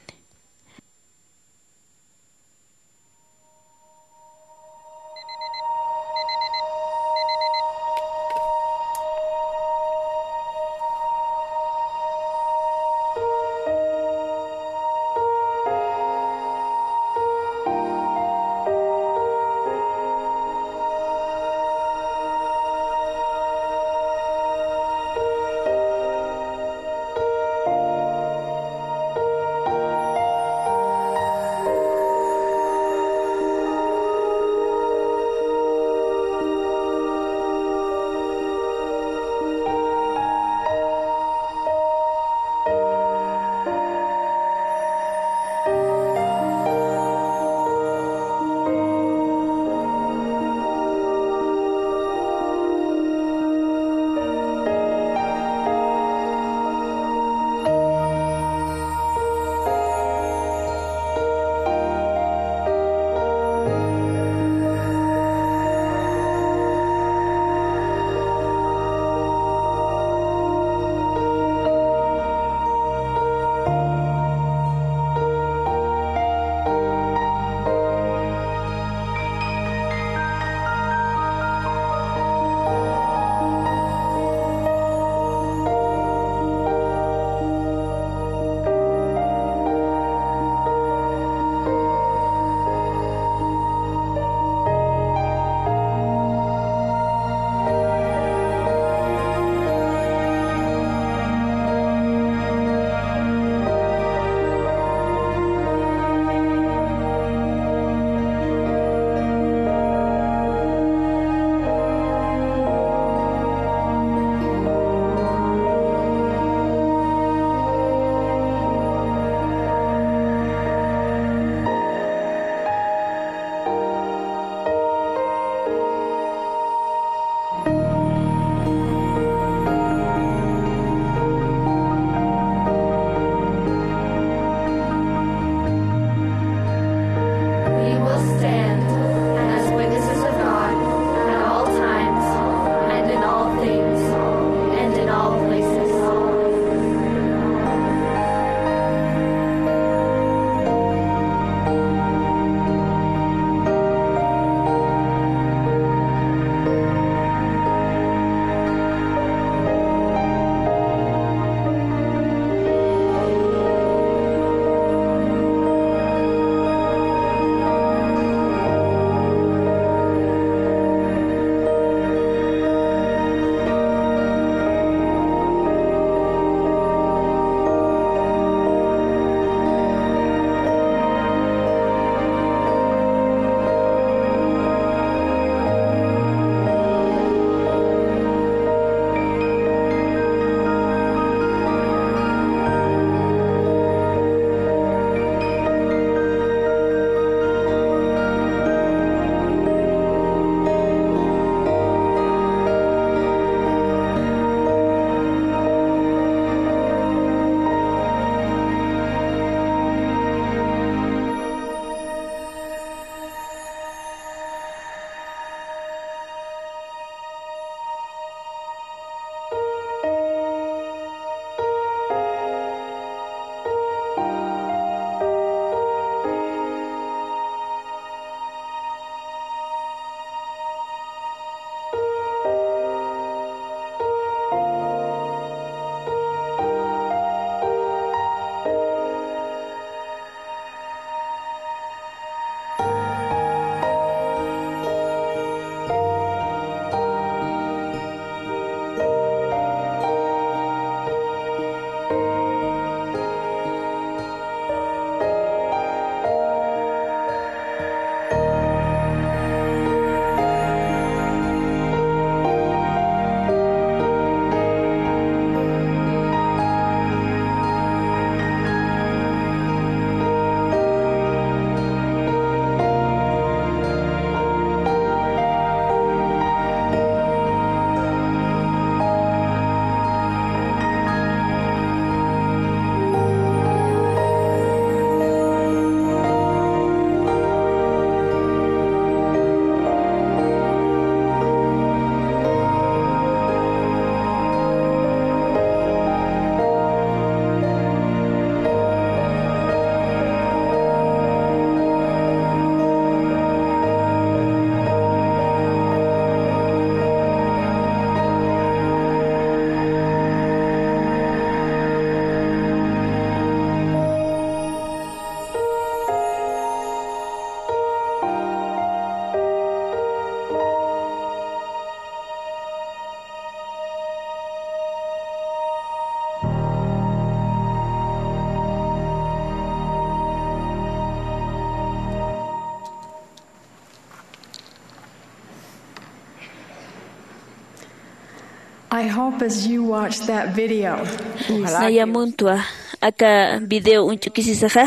I hope as you watch that video, you Naya muntwa aka video uñch'ukisisaxa,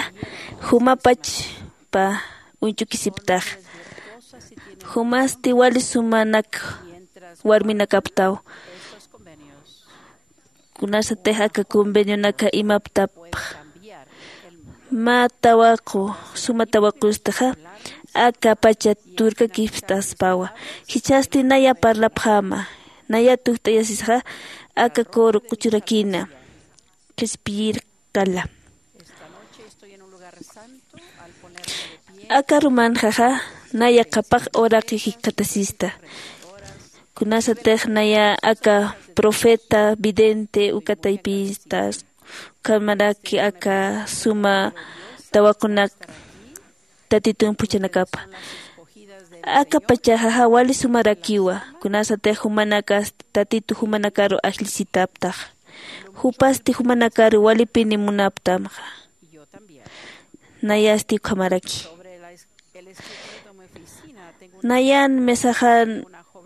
jumapachpa uñch'ukisiptax. Jumasti wali sumanak warminakaptaw. Kunasatix aka convenionaka imaptapx mä tawaqu, suma tawaqustaxa aka pacha turkakipstaspawa. Jichhasti naya parlapxäma, naya tujt'ayasisaxa aka coro q'uchurakina qhispiyir qala. Aka arumanxaxa naya qhapaq uraqi jikxatasista. Kunasatix naya aka profeta, vidente, uka taypinsta, ukhamaraki aka suma tawaqunak Tatitun phuchhanakapa. Aka pachaxaxa wali sumarakiwa, kunasatix jumanakas Tatitu jumanakaru ajllisitaptaxa. Jupasti jumanakaru walipini munaptamxa. Nayasti ukhamaraki. Nayan mesaxan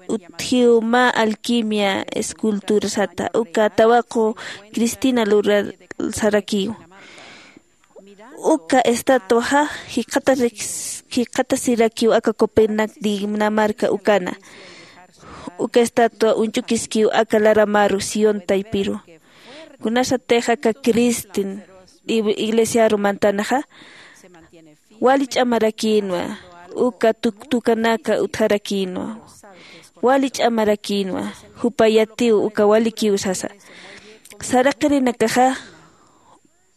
utjiw mä alquimia escultura sata, uka tawaqu Cristina lurar sarakiw. Uka estatuaxa jikxatasirakiw aka Copenhague, Dinamarca ukana. Uka estatua uñch'ukiskiw aka laramaru Sión taypiru. Kunasatix aka Cristin iglesiaru mantanaxa wali ch'amarakïnwa, uka tuktukanaka utjarakïnwa. Wali ch'amarakïnwa, jupa yatiw uka walikiw sasa. Saraqirinakaxa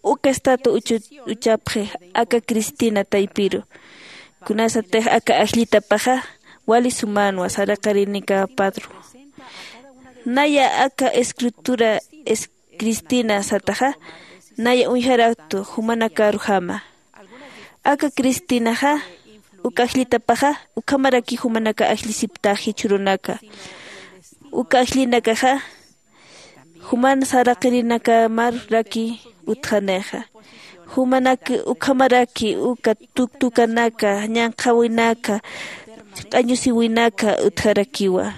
uka estatua uchu-, uchapxi aka Cristina taypiru. Kunasatix aka ajllitapaxa wali sumänwa saraqirinika padru. Naya aka escritura es-, Cristina sataxa, naya uñjaraktu jumanakaru jama. Aka Cristinaxa, uka ajllitapaxa, ukhamaraki jumanaka ajllisiptax jichhürunaka. Uka ajllinakaxa, juman saraqirinakamar raki utjanixa. Jumanak ukhamaraki uka tuktukanaka, ñanqhawinaka, q'añusiwinaka utjarakiwa.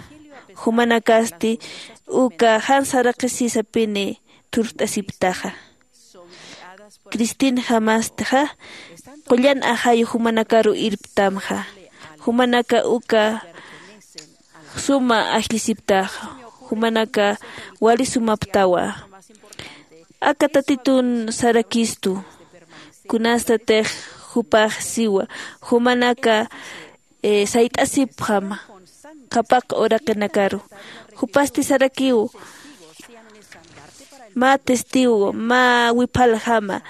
Jumanakasti uka jan saraqisisapini thurt'asiptaxa. Cristinjamastixa, qullan ajayu jumanakaru irptamxa. Jumanaka uka suma ajllisiptaxa, jumanaka wali sumaptawa. Aka Tatitun sarakistu, kunastatix jupax siwa, jumanaka, eh, sayt'asipxam qhapaq uraqinakaru. Jupasti sarakiw, mä testigo, mä wiphaljama,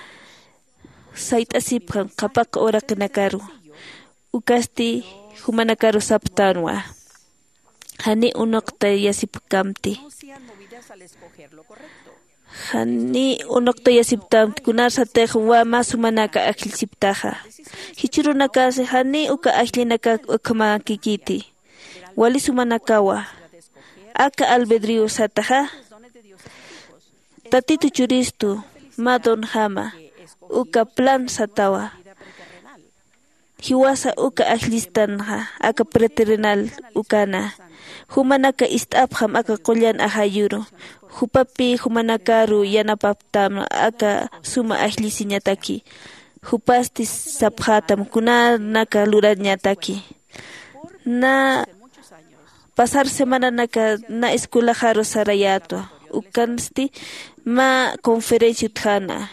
sayt'asipxam qhapaq uraqinakaru. Ukasti jumanakaru saptanwa. Jani unuqtayasipkamti. Jani unuqtayasiptamti, kunarsatix mä sumanaka ajllisiptaxa. Jichhürunakasi jani uka ajllinaka ukhamarakikiti. Wali sumanakawa. Aka albedrío sataxa. Tatitu churistu, mä donjama, uka plan satawa. Jiwasa uka ajllistanxa, aka preterrenal ukana. Jumanaka ist'apxam aka qullan ajayuru. Jupapi jumanakaru yanapaptam aka suma ajllisiñataki. Jupasti sapxätam kunanaka lurañataki. Na pasar semananaka na escuelaxaru sarayätwa. Ukansti mä conferencia utjana.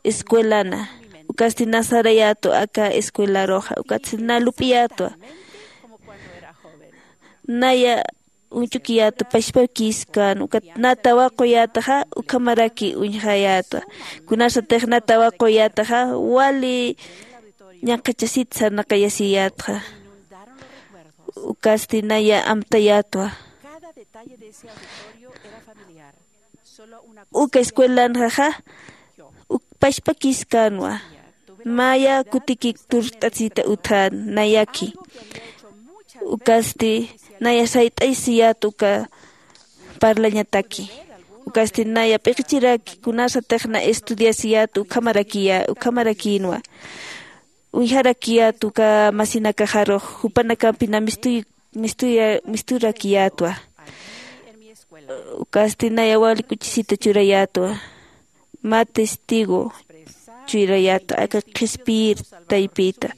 Escuelana, ukasti na sarayätwa aka escuelaruxa, ukatsti na lup'iyätwa. Naya uñch'ukiyätwa, pachpakïskän, ukat na tawaquyätaxa, ukhamaraki uñjayätwa. Kunasatix na tawaquyätaxa, wali ñanqhachasit sarnaqayasiyätxa. Ukasti naya amtayätwa. Uka escuelanxaxa, uk pachpakïskänwa. Maya kutikik turt'asita utjän nayaki. Ukasti naya sayt'asiyät uka parlañataki. Ukasti naya p'iqichiraki kunasatix na estudiasiyät ukhamarakiya-, ukhamarakïnwa. Uñjarakiyät uka masinakaxarux, jupanakampi na mistuy-, mistuya-, misturakiyätwa. Ukasti naya wali kuchisita churayätwa. Mä testigo churayätwa aka qhispiyir taypita.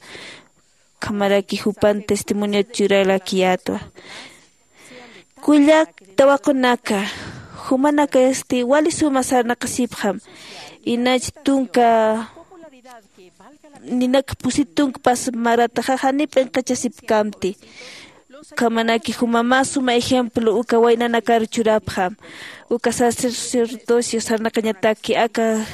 Ukhamaraki jupan testimoniot churarakiyätwa. Kullak tawaqunaka, jumanakasti wali suma sarnaqasipxam. Inach tunka ninak pusit tunka pas marataxa jani p'inqachasipkamti. Ukhamanaki juma mä suma ejemplo uka waynanakar churapxam. Uka sacerdocio sarnaqañataki aka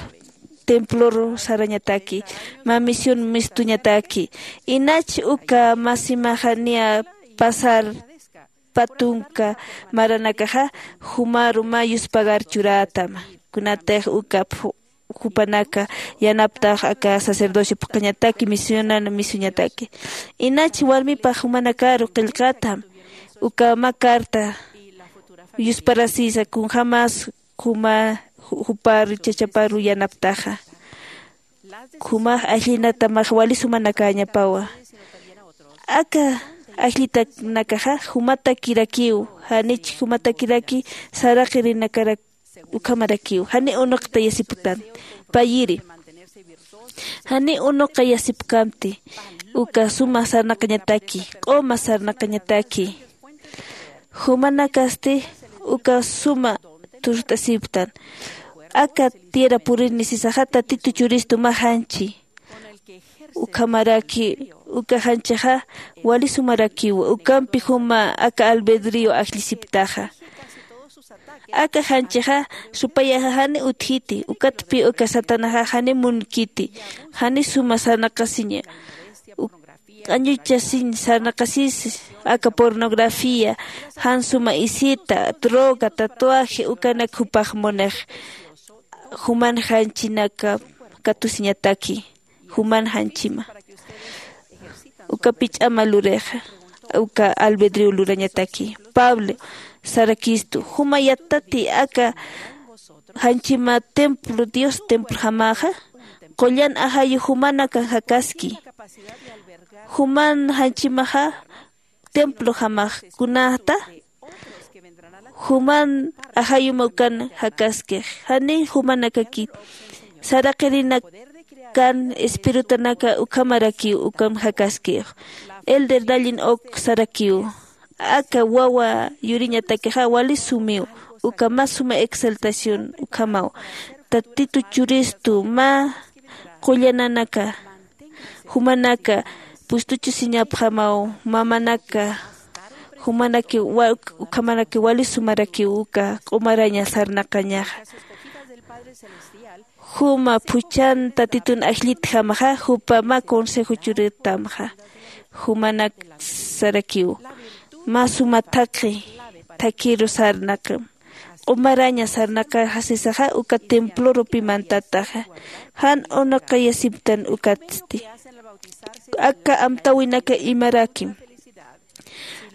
temploru sarañataki, mä misión mistuñataki. Inach uka mä simaxa niya pasar pä tunka maranakaxa jumaru mä yuspagar churätam. Kunatix uka jupanaka yanaptax aka sacerdocio phuqhañataki misionan misuñataki. Inach warmipax jumanakaru qillqatam uka mä carta yusparasisa kunjämas juma juparu chachaparu yanaptaxa. Jumax ajllinatamax wali sumanakäñapawa. Aka ajllitanakaxa jumatakirakiw. Janich jumatakiraki saraqirinakarak ukhamarakiw jani unuqtayasiptan. Payiri jani unuqayasipkamti. Uka suma sarnaqañataki q'uma sarnaqañataki. Jumanakasti uka suma turt'asiptan. Aka tierra purini sisaxa tatitu churistu mä janchi. Ukhamaraki uka janchixa wali sumarakiwa ukampi juma aka albedrío ajllisiptaxa. Aka janchixa supayaxa jani utjiti ukatpi uka satanaxa jani munkiti. Jani suma sarnaqasiña. Q'añuchasiñ sarnaqasis aka pornografía jan suma isita droga tatuaje ukanak jupax munix. Juman janchinaka katusiñataki juman janchima. Uka pich'ama lurixa uka albedrio lurañataki. Pablo sarakistu juma yattati aka janchima templo dios templojamaxa qullan ajayu jumanaka jakaski. Juman janchimaxa templojamax kunata juman ajayuma ukan jakaskix jani jumanakakit saraqirinakan espiritanaka ukhamarakiw ukam jakaskix. Elder dallin ok sarakiw aka wawa yuriñatakixa wali sumiw uka mä suma exaltación ukhamaw. Tatitu churistu mä qullananaka jumanaka pustuchusiñapxamaw. Mamanaka jumanaki ukhamanaki wali sumarakiw uka q'umaraña sarnaqañaxa. Juma phuchhan tatitun ajllitjamaxa jupa mä consejo churitamxa. Jumanak sarakiw mä suma thaqhi thakhiru sarnaqim. Q'umaraña sarnaqaxa sisaxa uka templorupi mantataxa jan unuqayasiptan ukatsti. Aka amtäwinaka imarakim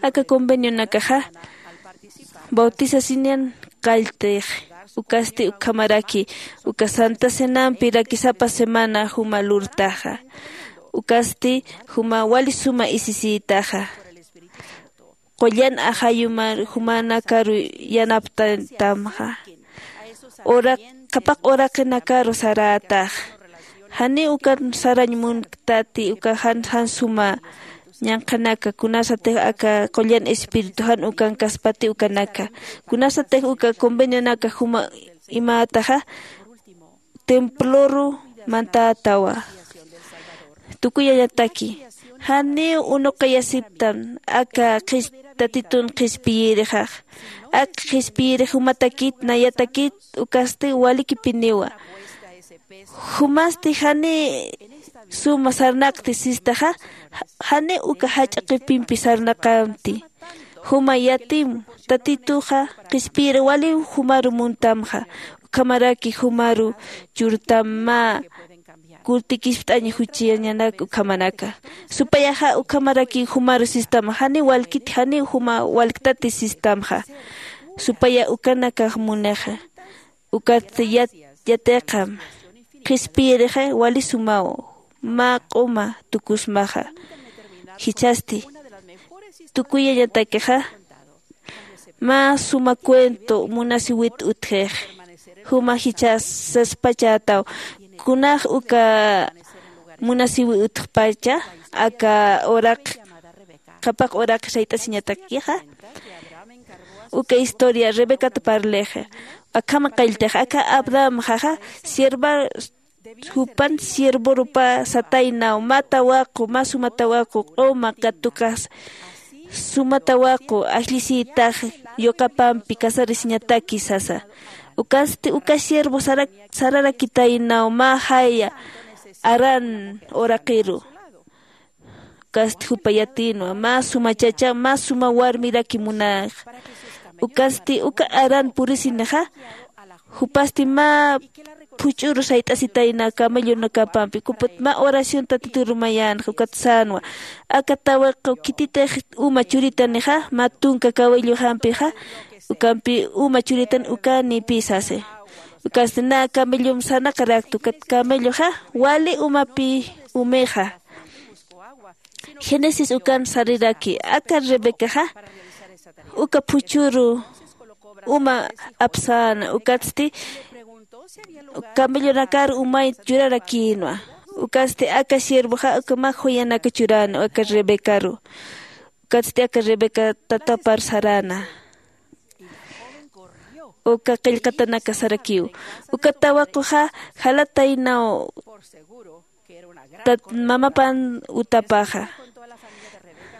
aka convenionakaxa bautisasiñan qalltix. Ukasti ukhamaraki uka santa cenampi rakisapa semana juma lurtaxa. Ukasti juma wali suma isisïtaxa. Qullan ajayumar jumanakaru yanaptatamxa. Qhapaq uraqinakaru sarätax. Janiw ukan sarañ munktati uka jan jan suma ñanqhanaka kunasatix aka qullan espiritu jan ukankaspati ukanaka. Kunasatix uka convenionaka juma imätaxa temploru mantätawa. Tukuyañataki janiw unuqayasiptan aka qhis tatitun qhispiyirixax. Aka qhispiyirix jumatakit nayatakit ukasti walikipiniwa. Jumasti jani suma sarnaqti sistaxa jani uka jach'a qipimpi sarnaqamti. Juma yatim tatituxa qhispiyir waliw jumaru muntamxa. Ukhamaraki jumaru churtam mä kurtikispt'añ juchiyañanak ukhamanaka. Supayaxa ukhamaraki jumaru sistama jani walkit jani juma walktati sistamxa. Supaya ukanakax munixa. Ukat yatiqam qhispiyirixa wali sumaw mä q'uma tukusmaxa. Jichhasti tukuyañatakixa Mä suma cuento munasiwit utjix. Juma jichhas saspachätaw. Kunax uka munasiwi utjpacha aka uraq, qhapaq uraq sayt'asiñatakixa. Uka historia Rebecat parlixa. Akhama qalltix aka Abrahamxaxa sierva, jupan siervorupa sataynaw mä tawaqu, mä suma tawaqu, q'uma katukax suma tawaqu ajllisïtax yuqapampi casarisiñataki sasa. Ukasti uka siervo sara-, sararakitaynaw mä jaya Harán uraqiru. Ukasti jupa yatïnwa mä suma chacha, mä suma warmiraki munäxa. Ukasti uka Harán purisinixa, jupasti mä phuch'uru sayt'asitayna camellonakapampi, jupat mä oración Tatitur mayänxa, ukat sänwa. Aka tawaqu khititix uma churitanixa, mä tunka cabellojampixa, ukampi uma churitan ukanïpï sasi. Ukasti nä camellom sanaqarakta, ukat camelloxa wali umapï umixa. Génesis ukan sariraki, aka Rebecaxa uka phuchhuru uma apsäna, ukatsti camellonakar umay churarakïnwa. Ukatsti aka siervoxa uka mä joyanaka churäna aka Rebecaru. Ukatsti aka Rebeca tatapar saräna. Uka qillqatanaka sarakiw. Uka tawaquxa jalataynaw tat-, mamapan utapaxa.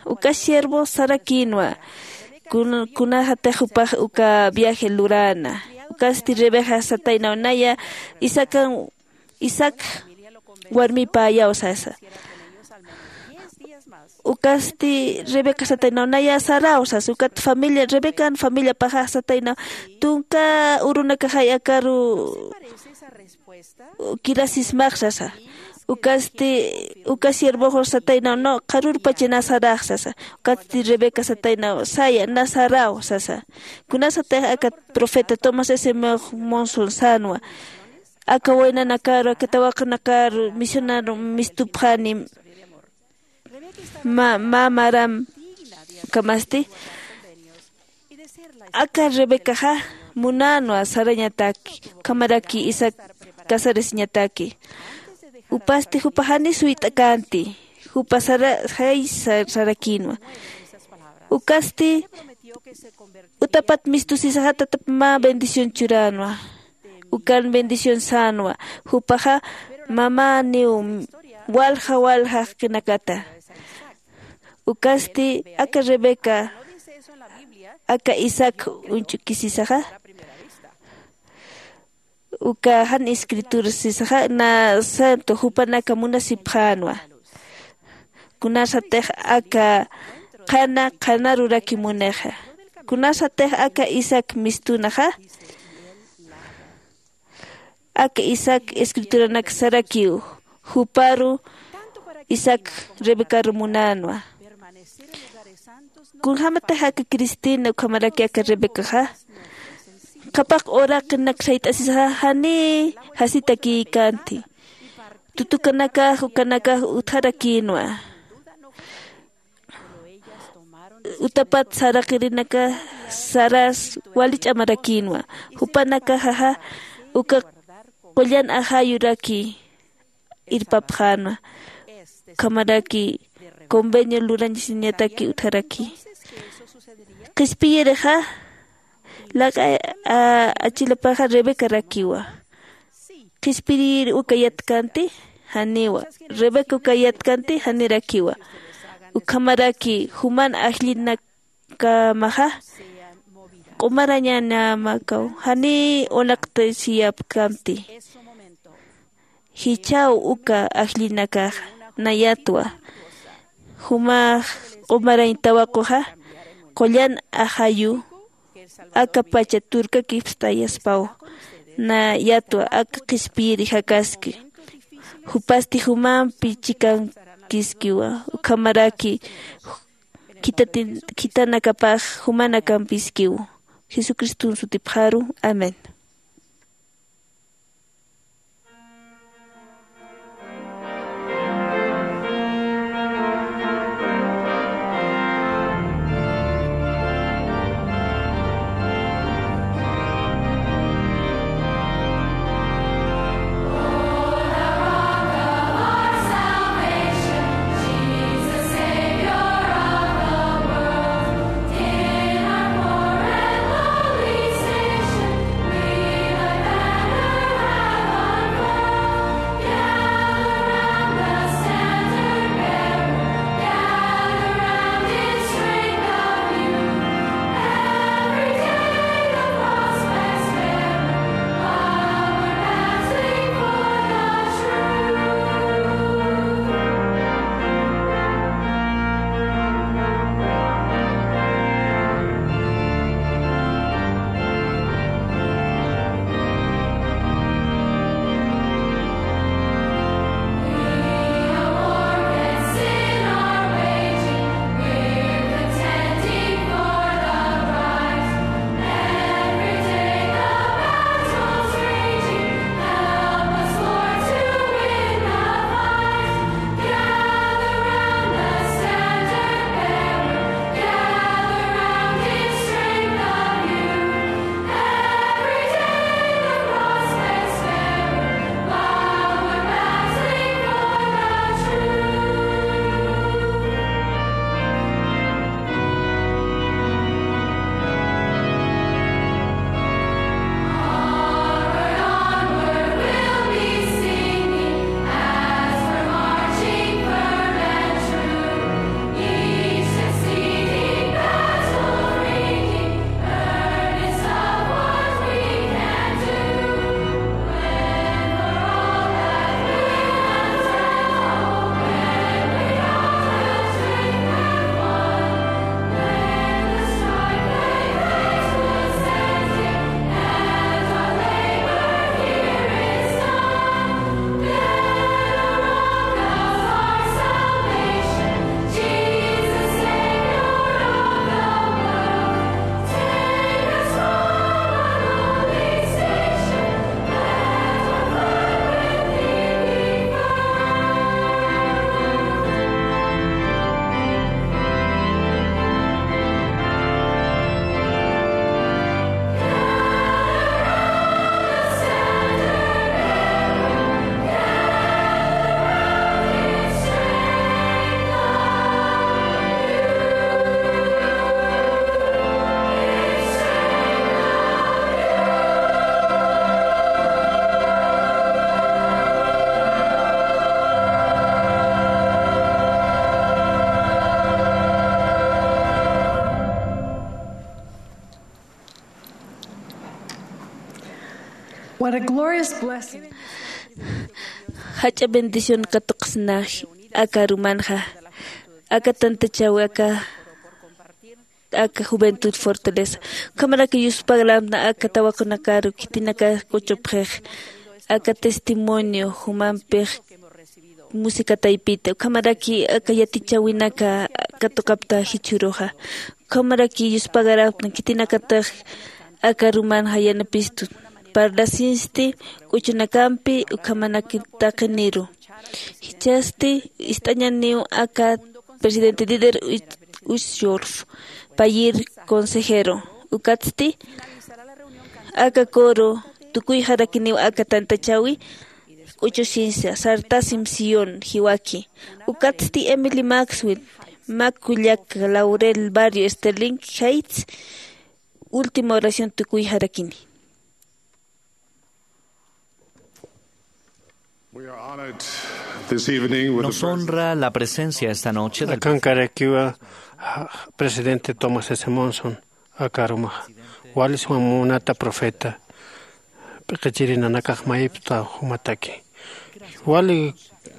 Uka siervo sarakïnwa, kun-, kunasatix jupax uka viaje luräna. Ukasti Rebeca sataynaw, naya Isaacan, Isaac warmipäyaw sasa. Ukasti Rebeca sataynaw, naya Saraw sasa. Ukat familia, Rebecan familiapaxa sataynaw, tunka urunakaxay akaru kirasismax sasa. Ukasti, uka siervoxu sataynaw, no, qharürpacha nä Sarax sasa. Ukasti Rebeca sataynaw, saya, nä Saraw sasa. Kunasatix aka profeta Thomas S. Monson sänwa, aka waynanakaru, aka tawaqunakaru misionaru mistupxani, mä, mä maram, ukhamasti aka Rebecaxa munänwa sarañataki, ukhamaraki Isaac casarasiñataki. Jupasti jupa jani suyt'akänti, jupa sara-, jay sa-, sarakïnwa. Ukasti utapat mistusisaxa tatap mä bendición churänwa. Ukan bendición sänwa. Jupaxa mamäniw walja walja jaqinakata. Ukasti aka Rebeca, aka Isaac uñch'ukisisaxa, uka jan escritura sisaxa, nä santo jupanaka munasipxänwa. Kunasatix aka qhana qhanaruraki munixa. Kunasatix aka Isaac mistunaxa, aka Isaac escrituranak sarakiw, juparu Isaac Rebecaru munänwa. Kunjamatix aka Cristina ukhamaraki aka Rebecaxa, qhapaq uraqinak sayt'asisaxa jani jasitakïkänti. Tutukanakax ukanakax utjarakïnwa. Utapat saraqirinaka saras wali ch'amarakïnwa. Jupanakaxaxa uka qullan ajayuraki irpapxänwa. Ukhamaraki convenio lurañasiñataki utjaraki. Qhispiyirixa, lak'a, a, achilapaxa Rebecarakiwa. Qhispiyiri uka yatkanti, janiwa. Rebeca uka yatkanti, janirakiwa. Ukhamaraki juman ajllinakamaxa q'umarañanamakaw, jani unaqtasiyapkamti. Jichhaw uka ajllinakaxa, nayatwa. Jumax q'umarañ tawaquxa, qullan ajayu, aka pacha turkakipstayaspaw, nayatwa aka qhispiyiri jakaski. Jupasti jumampi chikankiskiwa, ukhamaraki khitatin-, khitanakapax jumanakampiskiw. Jesucriston sutipxaru. Amén. What a glorious blessing. Jach'a bendición katuqsna aka arumanxa, aka tantachawi, aka aka juventud fortaleza. Ukhamaraki yuspagaräpxna aka tawaqunakaru khitinaka k'uchupxix, aka testimonio jumampix musika taypita, ukhamaraki aka yatichäwinaka katuqapta jichhüruxa. Ukhamaraki yuspagaräpxna khitinakatix aka arumanxa yanapistun parlasinsti k'uchunakampi ukhamanaki taqiniru. Jichhasti ist'añaniw aka presidente Dieter Uchtdorf payïr consejero. Ukatsti aka coro tukuyxarakiniw aka tantachäwi k'uchusinsa sartasim Sión jiwaki. Ukatsti Emily Maxwell, mä kullaka Laurel Barrio Sterling Heights, última oración tukuyxarakini. We are honored this evening with the Nos honra la presencia esta noche del Akankarakiwa, ah, presidente Thomas S. Monson, aka arumaxa. Wali suma munata profeta, p'iqichiri nanakax mayipxta jumataki. Wali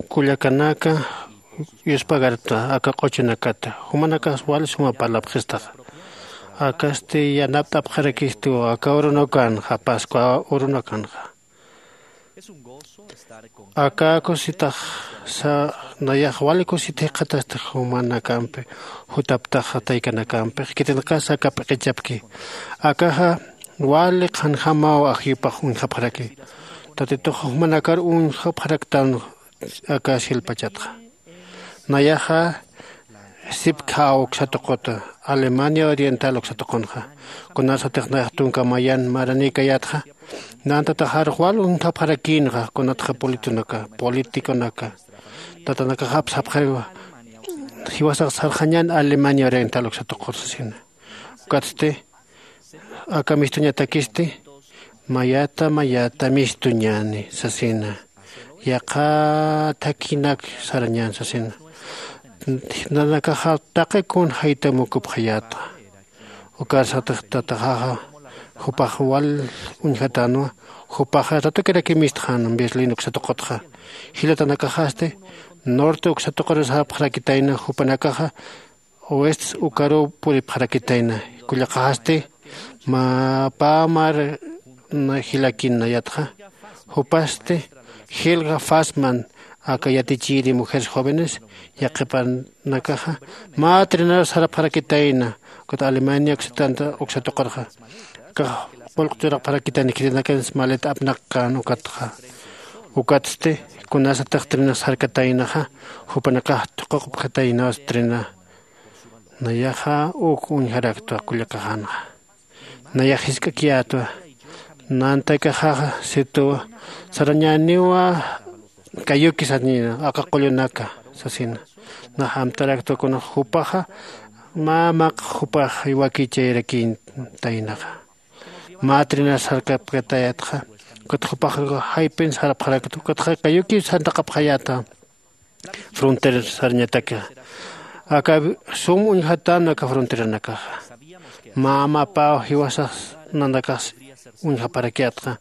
kullakanaka yuspagarpxta aka q'uchunakata, jumanakax wali suma parlapxistaxa. Akasti yanapt'apxarakistiw aka urunakanxa, Pascua urunakanxa. Aka kusitax sa-, nayax wali kusita jikxatasti jumanakampi, jutaptaxa taykanakampix, khitinakasa aka p'iqichapki. Akaxa wali qhanjamaw ajyupax uñjapxaraki. Tatitux jumanakar uñjapxaraktan aka silpachatxa. Nayaxa sipkhaw uksa tuquta, Alemania Oriental uksa tuqunxa. Kunasatix nayax tunka mayan maranïkayätxa, nantataxarux wal uñjapxarakïnxa, kunatxa politonaka, politiconaka. Tatanakaxap sapxariwa, jiwasax sarxañän Alemania Oriental uksa tuqur sasina. Ukatsti, aka mistuñatakisti, mayata, mayata mistuñäni sasina. Yaqha thakhinak sarañän sasina. Nanakaxa taqi kun jaytam ukupxayäta. Ukarsatix tataxaxa, jupax wal uñjatänwa, jupaxa ratukiraki mistxän Berlín uksa tuqutxa. Jilatanakaxasti, norte uksa tuqur sarapxarakitayna, jupanakaxa, oeste ukaruw puripxarakitayna. Kullaqaxasti, mä pä mar na jilakin nayatxa. Jupasti, Helga Fassmann, aka yatichiri mujeres jóvenes, yaqhipanakaxa, mä trinar sarapxarakitayna, ukat Alemania uksatanta, uksa tuqurxa. Akax pulqu churapxarakitayna, khitinakans maleta apnaqkän ukatxa. Ukatsti, kunasatix trinax sarkataynaxa, jupanakax thuququpxataynaw trina. Nayaxa uk uñjaraktwa kullakaxanxa. Nayax jisk'akiyätwa. Nantakaxaxa situwa, sarañäniwa kayuki sanina, aka qullunaka, sasina. Nax amtaraktwa kunax jupaxa, mä maq jupax wakichayrakïtaynaxa. Mä trinar sarkapkatayätxa, ukat jupax jaypin sarapxarakta, ukatxa kayuki santaqapxayäta. Frontera sarañataki. Aka sum uñjatän aka fronteranakaxa. Mä mapaw jiwasax nanakax uñjaparakiyätxa.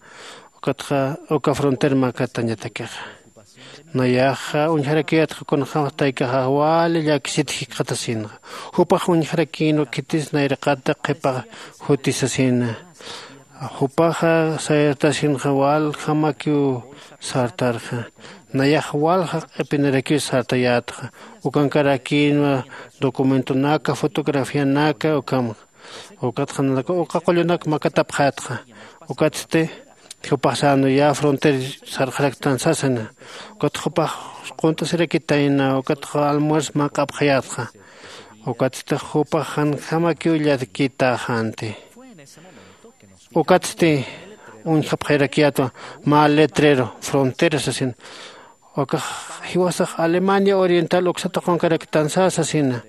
Ukatxa, uka frontera makatañatakixa. Nayaxa uñjarakiyätxa kunjamax taykaxa wali llakisit jikxatasinxa. Jupax uñjarakïnwa khitis nayraqata qhipa juti sasina. Jupaxa sayartasinxa waljamakiw sartarxa. Nayax walja q'ipinirakiw sartayätxa. Ukankarakïnwa documentonaka, fotografianaka, ukham. Ukatxa nanaka uka qullunak makatapxätxa. Ukatsti, jupax sänwa ya frontera sarxaraktan sasina. Ukat jupax quntasirakitayna, ukatxa almuerzo manq'apxayätxa. Ukatsti jupax janjamakiw llakitäxänti. Ukatsti uñjapxayarakiyätwa mä letrero, frontera sasin. Ukax jiwasax Alemania Oriental uksa tuqunkaraktan sasina.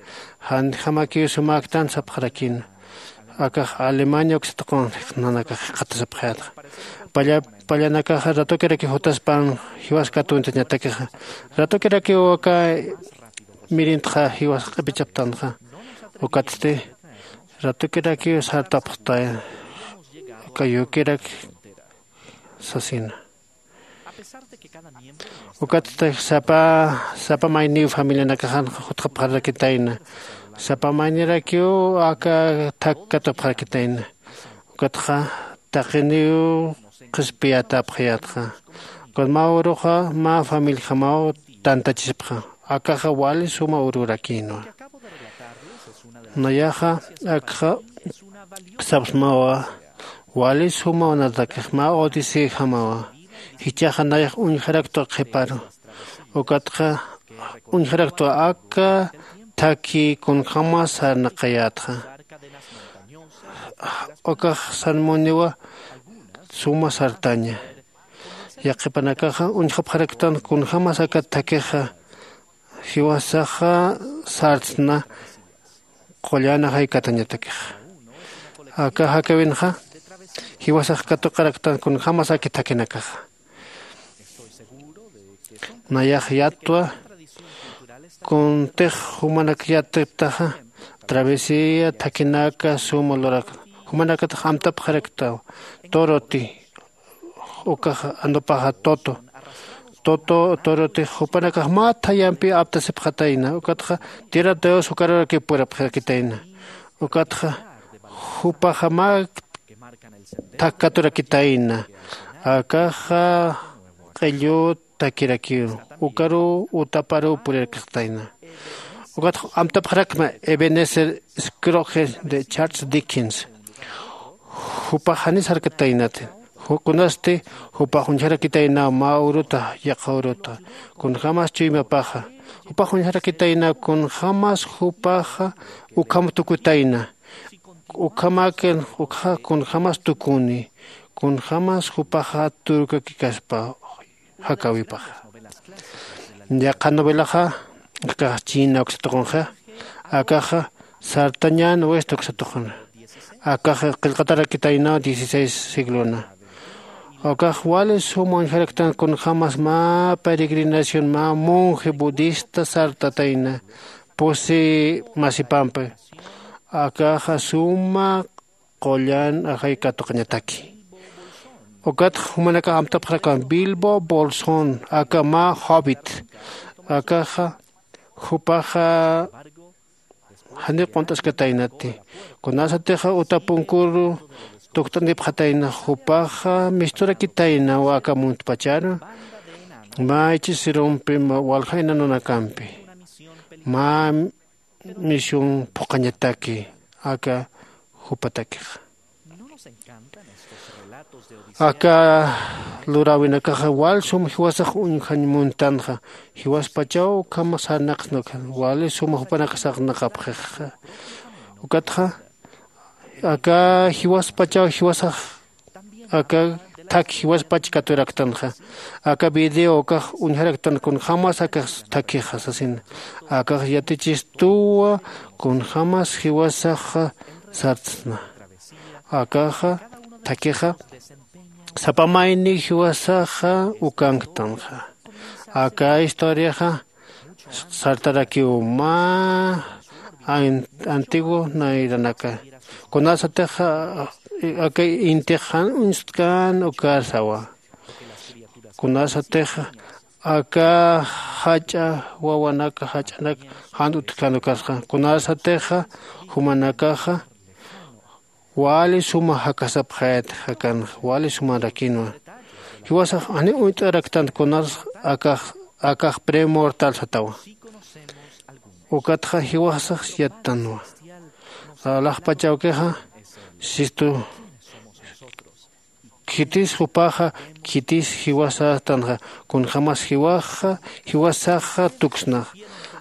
Janjamakiw sumäktan sapxarakïna. Akax Alemania uksa tuqun nanakax jikxatasipxayätxa. Palla, pallanakaxa ratukirakiw jutaspan jiwas katuntañatakixa. Ratukirakiw aka mirintxa jiwas q'ipichaptanxa. Ukatsti, ratukirakiw sartapxtay, kayukirak sasina. Ukatsti sapa sapa mayniw familianakaxan jutxapxarakitayna. Sapa maynirakiw aka thak katupxarakitayna. Ukatxa taqiniw qhispiyatapxayätxa. Ukat mä uruxa mä familijamaw tantachispxa. Akaxa wali suma ururakïnwa. Nayaxa akxa sapsmawa wali suma unatakix mä odisejamawa. Jichhaxa nayax uñjaraktwa qhiparu. Ukatxa uñjaraktwa aka thakhi kunjämas sarnaqayätxa. Ukax sarmuniwa suma sartaña. Yaqhipanakaxa uñjapxaraktan kunjämas aka thakhixa jiwasaxa sartsna qullan ajay katañatakixa. Aka jakäwinxa jiwasax katuqaraktan kunjämas aka thakhinakaxa. Nayax yattwa kuntix jumanak yattiptaxa travesía thakhinaka suma lurak jumanakatix amtapxaraktaw. Toroti ukax anupaxa toto toto torotix jupanakax mä thayampi aptasipxatayna ukatxa tierra de dios ukararakiw purapxarakitayna. Ukatxa jupaxa mä thak katurakitayna. Akaxa q'illu thakirakiw ukaruw utaparuw purirakixtayna. Ukatxa amtapxarakma ebenezer scrooge de charles dickens. Jupax janis jarkataynati kunasti jupax uñjarakitaynaw mä uruta yaqha uruta kunjämas chuymapaxa. Jupax uñjarakitaynaw kunjämas jupaxa ukham tukutayna. Ukhamäkir ukxa kunjämas tukuni kunjämas jupaxa turkakikaspa jakäwipaxa. Yaqha novelaxa akax china uksa tuqunxa. Akaxa sartañän west uksa tuquna. Akax qillqatarakitaynaw dieciséis siglona. Ukax wali suma uñjaraktan kunjämas mä peregrinación mä monje budista sartatayna pusi masipampi. Akaxa suma qullan ajay katuqañataki. Ukatxa jumanakax amtapxarakan bilbo bolsón aka mä hobbit. Akaxa jupaxa janiw qunt'askataynati. Kunasatixa uta punkuru tukt'anipxatayna jupaxa misturakitaynaw aka muntpacharu mä ich'isirumpi walja inanunakampi mä misión phuqhañataki aka jupatakixa. Aka luräwinakaxa wal sum jiwasax uñjañ muntanxa. Jiwaspachaw ukham sarnaqsnakxa wali sum jupanakax sarnaqapxixa. Ukatxa aka jiwaspachaw jiwasax aka thak jiwaspach katuraktanxa. Aka video ukax uñjaraktan kunjämas akax thakhixa sasina. Akax yatichistuwa kunjämas jiwasaxa sartsna. Akaxa thakhixa sapa mayni jiwasaxa ukanktanxa. Aka historiaxa sartarakiw mä antiguo nayranaka. Kunasatix aka intix jan uñstkan ukarsawa. Kunasatix aka jach'a wawanaka jach'anak jan utjkan ukarsa kunasatix jumanakaxa wali suma jakasapxayat jakanxa wali sumarakinwa. Jiwasax janiw uñt'araktan kunas akax akax premortal satawa. Ukatxa jiwasax yattanwa. Alaxpachawkixa sistu khitis jupaxa khitis jiwasastanxa kunjämas jiwaxa jiwasaxa tuksnaxa.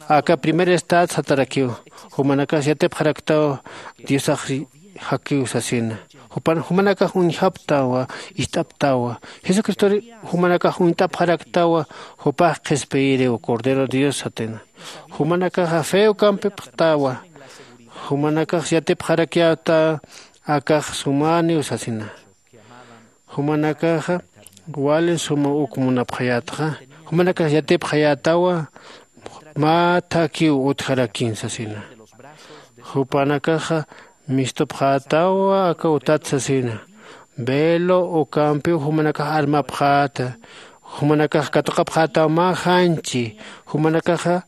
Aka primer estad satarakiw jumanakas yatipxaraktaw diosax jakiw sasina. Jumanakax uñjaptawa ist'aptawa. Jesucristor jumanakax uñt'apxaraktawa jupax qhispiyiriw cordero dios satina. Jumanakaxa fe ukampipxtawa. Jumanakax yatipxarakyäta akax sumaniw sasina. Jumanakaxa wali suma uk munapxayätxa. Jumanakax yatipxayätawa mä thakhiw utjarakin sasina. Jupanakaxa mistupxätawa aka utat sasina. Velo ukampiw jumanakax armapxäta. Jumanakax katuqapxätaw mä janchi. Jumanakaxa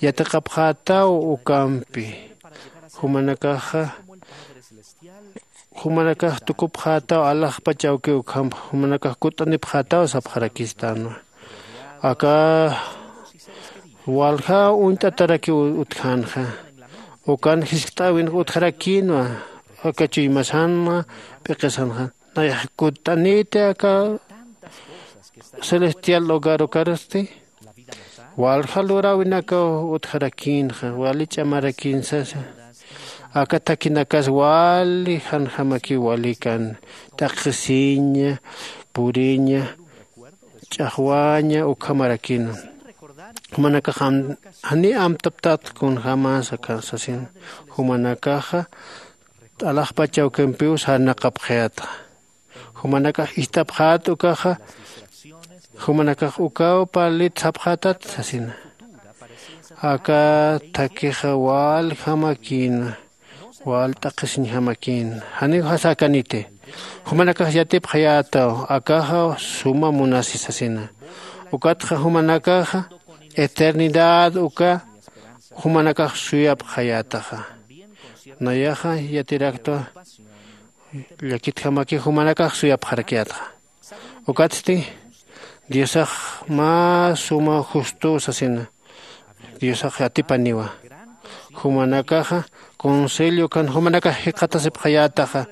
yatiqapxätaw ukampi. Jumanakaxa jumanakax tukupxätaw alaxpach awkiw ukhamp jumanakax kutt'anipxätaw sapxarakistänwa. Aka walja uñt'atarakiw utjänxa. Ukan jiskt'äwinx utjarakïnwa. Aka chuymasanxa p'iqisanxa nayax kutt'aniti aka celestial hogar ukarusti walja luräwinakaw utjarakïnxa wali ch'amarakïnsasa. Aka thakhinakas wali janjamakiw walikan t'aqhisiña, puriña, ch'axwaña ukhamarakïnwa. Jumanakax janiy amtaptät kunjämasa sasin. Jumanakaxa alaxpach awkimpiw sarnaqapxayätxa. Jumanakax ist'apxät ukaxa jumanakax ukaw parlit sapxätat sasina. Aka thakhixa waljamakïna. Wal t'aqhisiñjamakïna. Janiw jasäkaniti. Jumanakax yatipxayätaw akaxa suma munasi sasina. Ukatxa jumanakaxa eternidad uka jumanakax suyapxayätaxa. Nayaxa yatiraktwa llakitjamakiw jumanakax suyapxarakiyätxa. Ukatsti diosax mä suma justuw sasina. Diosax atipaniwa jumanakaxa consejo ukan jumanakax jikxatasipxayätaxa.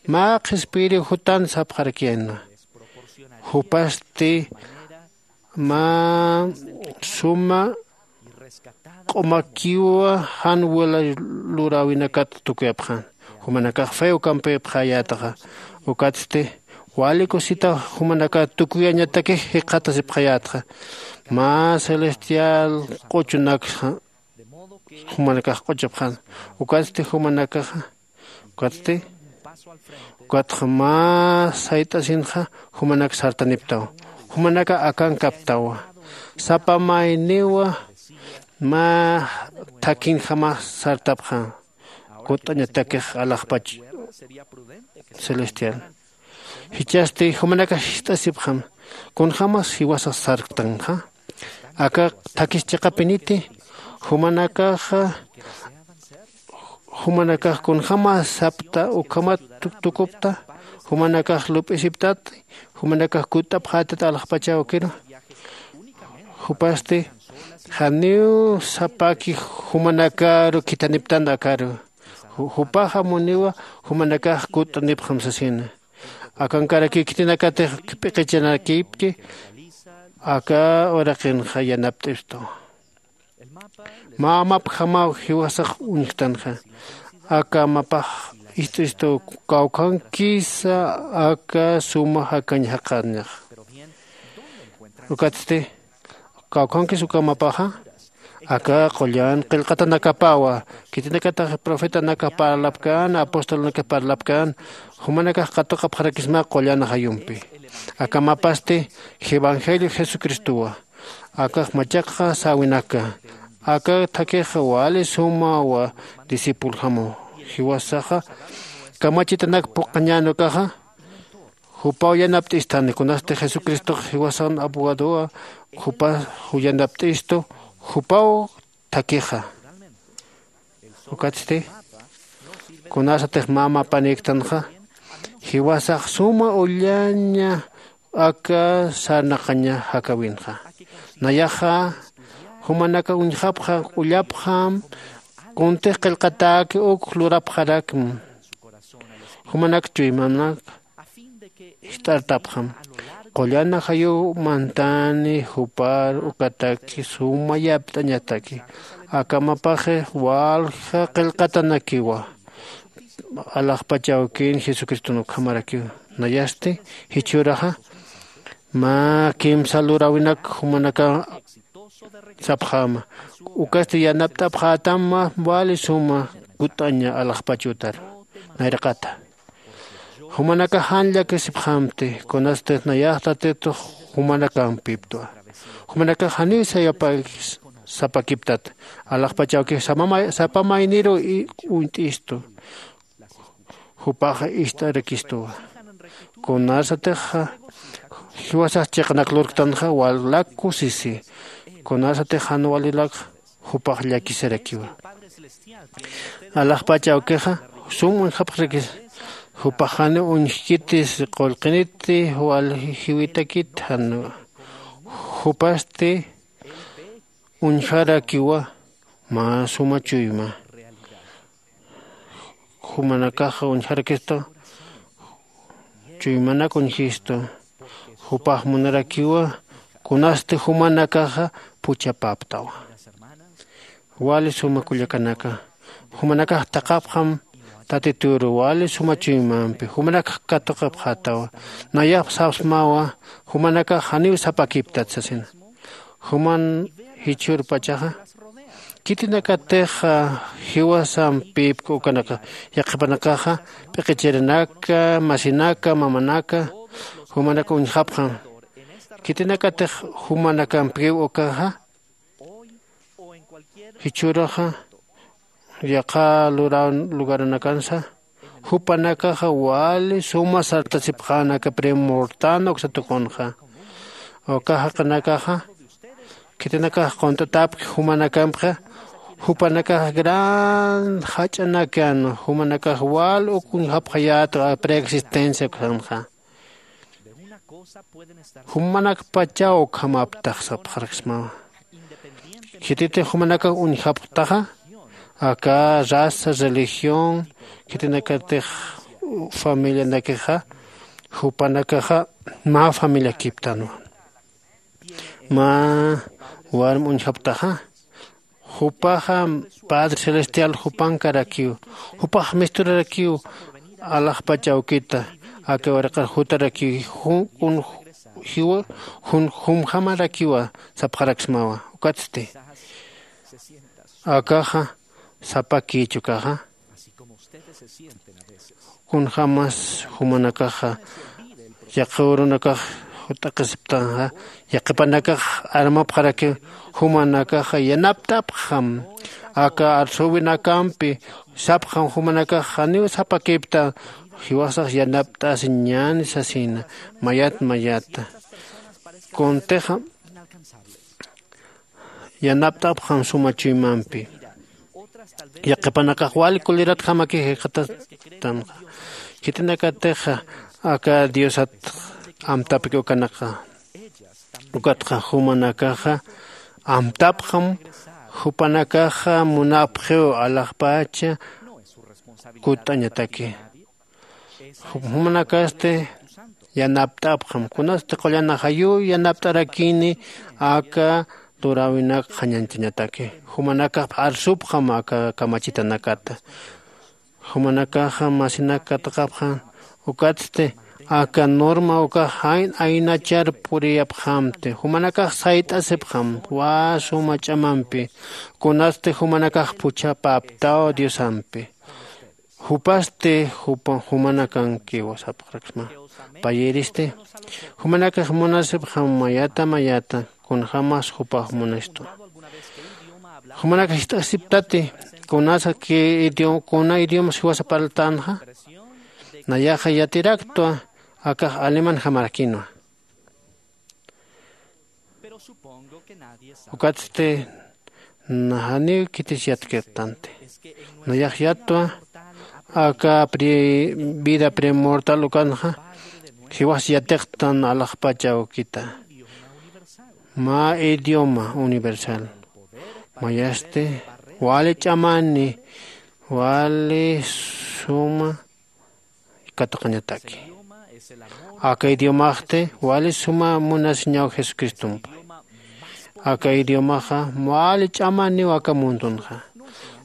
Mä qhispiyiriw jutan sapxarakiyänwa. Jupasti mä suma q'umakiwa jan wila luräwinakat tukuyapxän. Jumanakax fe ukampipxayätaxa. Ukatsti wali kusita jumanakax tukuyañatakix jikxatasipxayätxa. Mä celestial q'uchunaksa jumanakax q'uchapxän. Ukatsti jumanakaxa ukatsti ukatxa mä sayt'asinxa jumanak sartaniptaw. Jumanaka akankaptawa. Sapa mayniwa mä thakhinjamax sartapxä. Kutt'añatakix alaxpach celestial. Jichhasti jumanakax jist'asipxam kunjämas jiwasax sarktanxa. Aka thakhis chiqapiniti jumanakaxa jumanakax kunjämas sapta ukhamat tukupta. Jumanakax lup'isiptat. Jumanakax kutt'apxätat alaxpach awkiru. Jupasti janiw sapaki jumanakaru khithaniptan akaru. Jupaxa muniwa jumanakax kutt'anipxam sasina. Akankarakiw khitinakatix p'iqicharakipki. Aka uraqinxa yanapt'istu. Mä mapjamaw jiwasax uñjtanxa. Aka mapax ist'istu kawkhankisa aka suma jakañ jaqañax. Ukatsti kawkhankis uka mapaxa aka qullan qillqatanakapawa. Khitinakatax profetanakax parlapkän apostolnakax parlapkän. Jumanakax qatuqapxarakisma qullan ajayumpi. Aka mapasti evangelio jesucristowa. Akax machaqxa säwinaka. Aka thakhixa wali sumawa discipuljamaw. Jiwasaxa kamachitanak phuqhañän ukaxa jupaw yanapt'istani kunasti jesucristox jiwasan abogadowa. Jupax yanapt'istu jupaw thakhixa. Ukatsti kunasatix mä mapanïktanxa jiwasax suma ullaña aka sarnaqaña jakäwinxa. Nayaxa jumanaka uñjapxam ullapxam kuntix qillqatäki uk lurapxarakma. Jumanak chuymanak jist'artapxam qullan ajayu mantani jupar ukataki suma yapt'añataki. Aka mapaxi walja qillqatanakiwa alaxpach awkin jesucriston ukhamarakiw. Nayasti jichhüraxa mä kimsa luräwinak jumanaka sapxäma. Ukasti yanapt'apxätam mä wali suma kutt'aña alaxpach utar. Nayraqata jumanakax jan llakisipxämti kunasti nayax tatitux jumanakampiptwa. Jumanakax janiw sayapakis sapakiptat alaxpach awkix sapa mayniruw uñt'istu. Jupax ist'arakistuwa. Kunasatix jiwasax chiqanak lurktanxa walak kusisi. Kunasatix jan walilak jupax llakisarakiwa. Alaxpach awkixa sum uñjapxarakis. Jupax janiw uñjkitis qullqiniti wal jiwitakit jan. Jupasti uñjarakiwa mä suma chuyma. Jumanakaxa uñjarakistu chuymanak uñjistu. Jupax munarakiwa kunasti jumanakaxa puchapaptawa. Wali suma kullakanaka, jumanakax taqapxam tatituru wali suma chuymampi jumanakax katuqapxatawa. Nayax sapsmawa jumanakax janiw sapakiptat sasina. Juman jichhürpachaxa khitinakatix jiwasampipk ukanaka yaqhipanakaxa p'iqichirinaka masinaka mamanaka jumanaka uñjapxam. Khitinakatix jumanakampkiw ukaxa jichhüruxa yaqha lugaranakansa jupanakaxa wali suma sartasipxänaka primortan uksa tuqunxa. Uka jaqinakaxa khitinakax qunt'atapki jumanakampxa jupanakax gran jach'anakan jumanakax wal uk uñjapxayät preexistencia uksanxa. Jumanakpachaw ukhamaptax sapxaraksmawa. Khititix jumanakax uñjapxtaxa aka raza religión khitinakatix familianakixa jupanakaxa mä familiakiptanwa. Mä warm uñjapxtaxa jupaxa padre celestial jupankarakiw. Jupax misturarakiw alaxpach awkita aka waraqar jutarakiw jiwa jumjamarakiwa sapxaraksmawa. Ukatsti akaxa sapakïch ukaxa kunjämas jumanakaxa yaqhürunakax jut'aqisiptanxa yaqhipanakax armapxaraki jumanakaxa yanapt'apxam. Aka arsüwinakampi sapxam jumanakax janiw sapakipta jiwasax yanapt'asiñäni sasina. Mayat mayata kuntixa yanapt'apxam suma chuymampi. Yaqhipanakax wali kuliratjamaki jikxatatanxa khitinakatixa aka diosat amtapki ukanaka. Ukatxa jumanakaxa amtapxam jupanakaxa munapxiw alaxpacha kutt'añataki. Jumanakasti yanapt'apxam kunasti qullan ajayuw yanapt'arakini aka luräwinak qhañañchañataki. Jumanakax arsupxam aka kamachitanakata. Jumanakaxa masinak katuqapxam. Ukatsti aka norma ukax jayn aynachar puriyapxamti jumanakax sayt'asipxam wä suma ch'amampi. Kunasti jumanakax puchhapaptaw diosampi. Jupasti jumanakankiw sapxaraksma. Payïristi jumanakax munasipxam mayata mayata kunjämas jupax munistu. Jumanakax jist'asiptati kunasa kuna idiomas jiwasa parltänxa. Nayaxa yatiraktwa akax alemanjamarakinwa. Ukatsti janiw khitis yatkirtanti. Nayax yattwa aka vida primortal ukanxa jiwas yatiqtan alaxpach awkita. Mä idioma universal mayasti wali ch'amani wali suma katuqañataki. Aka idiomaxti wali suma munasiñaw jesucristompi. Aka idiomaxa wali ch'amaniw aka mundunxa.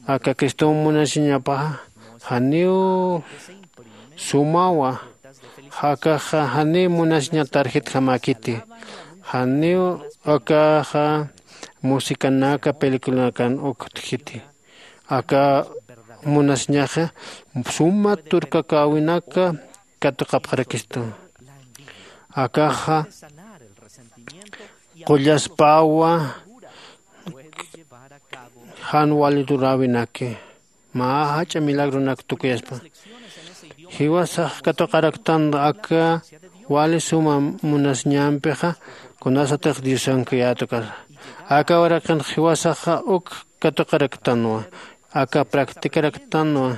Aka cristom munasiñapaxa janiw sumawa. Akaxa janiw munasiña tarjetjamäkiti. Janiw akaxa musicanaka peliculanakan uktjiti. Aka munasiñaxa suma turkakäwinaka katuqapxarakistu. Akaxa qullaspawa jan wali luräwinaki mä jach'a milagronak tukuyaspa. Jiwasax katuqaraktan aka wali suma munasiñampixa, kunasatix diosankayätukasa. Aka uraqin jiwasaxa uk katuqaraktanwa, aka practikaraktanwa.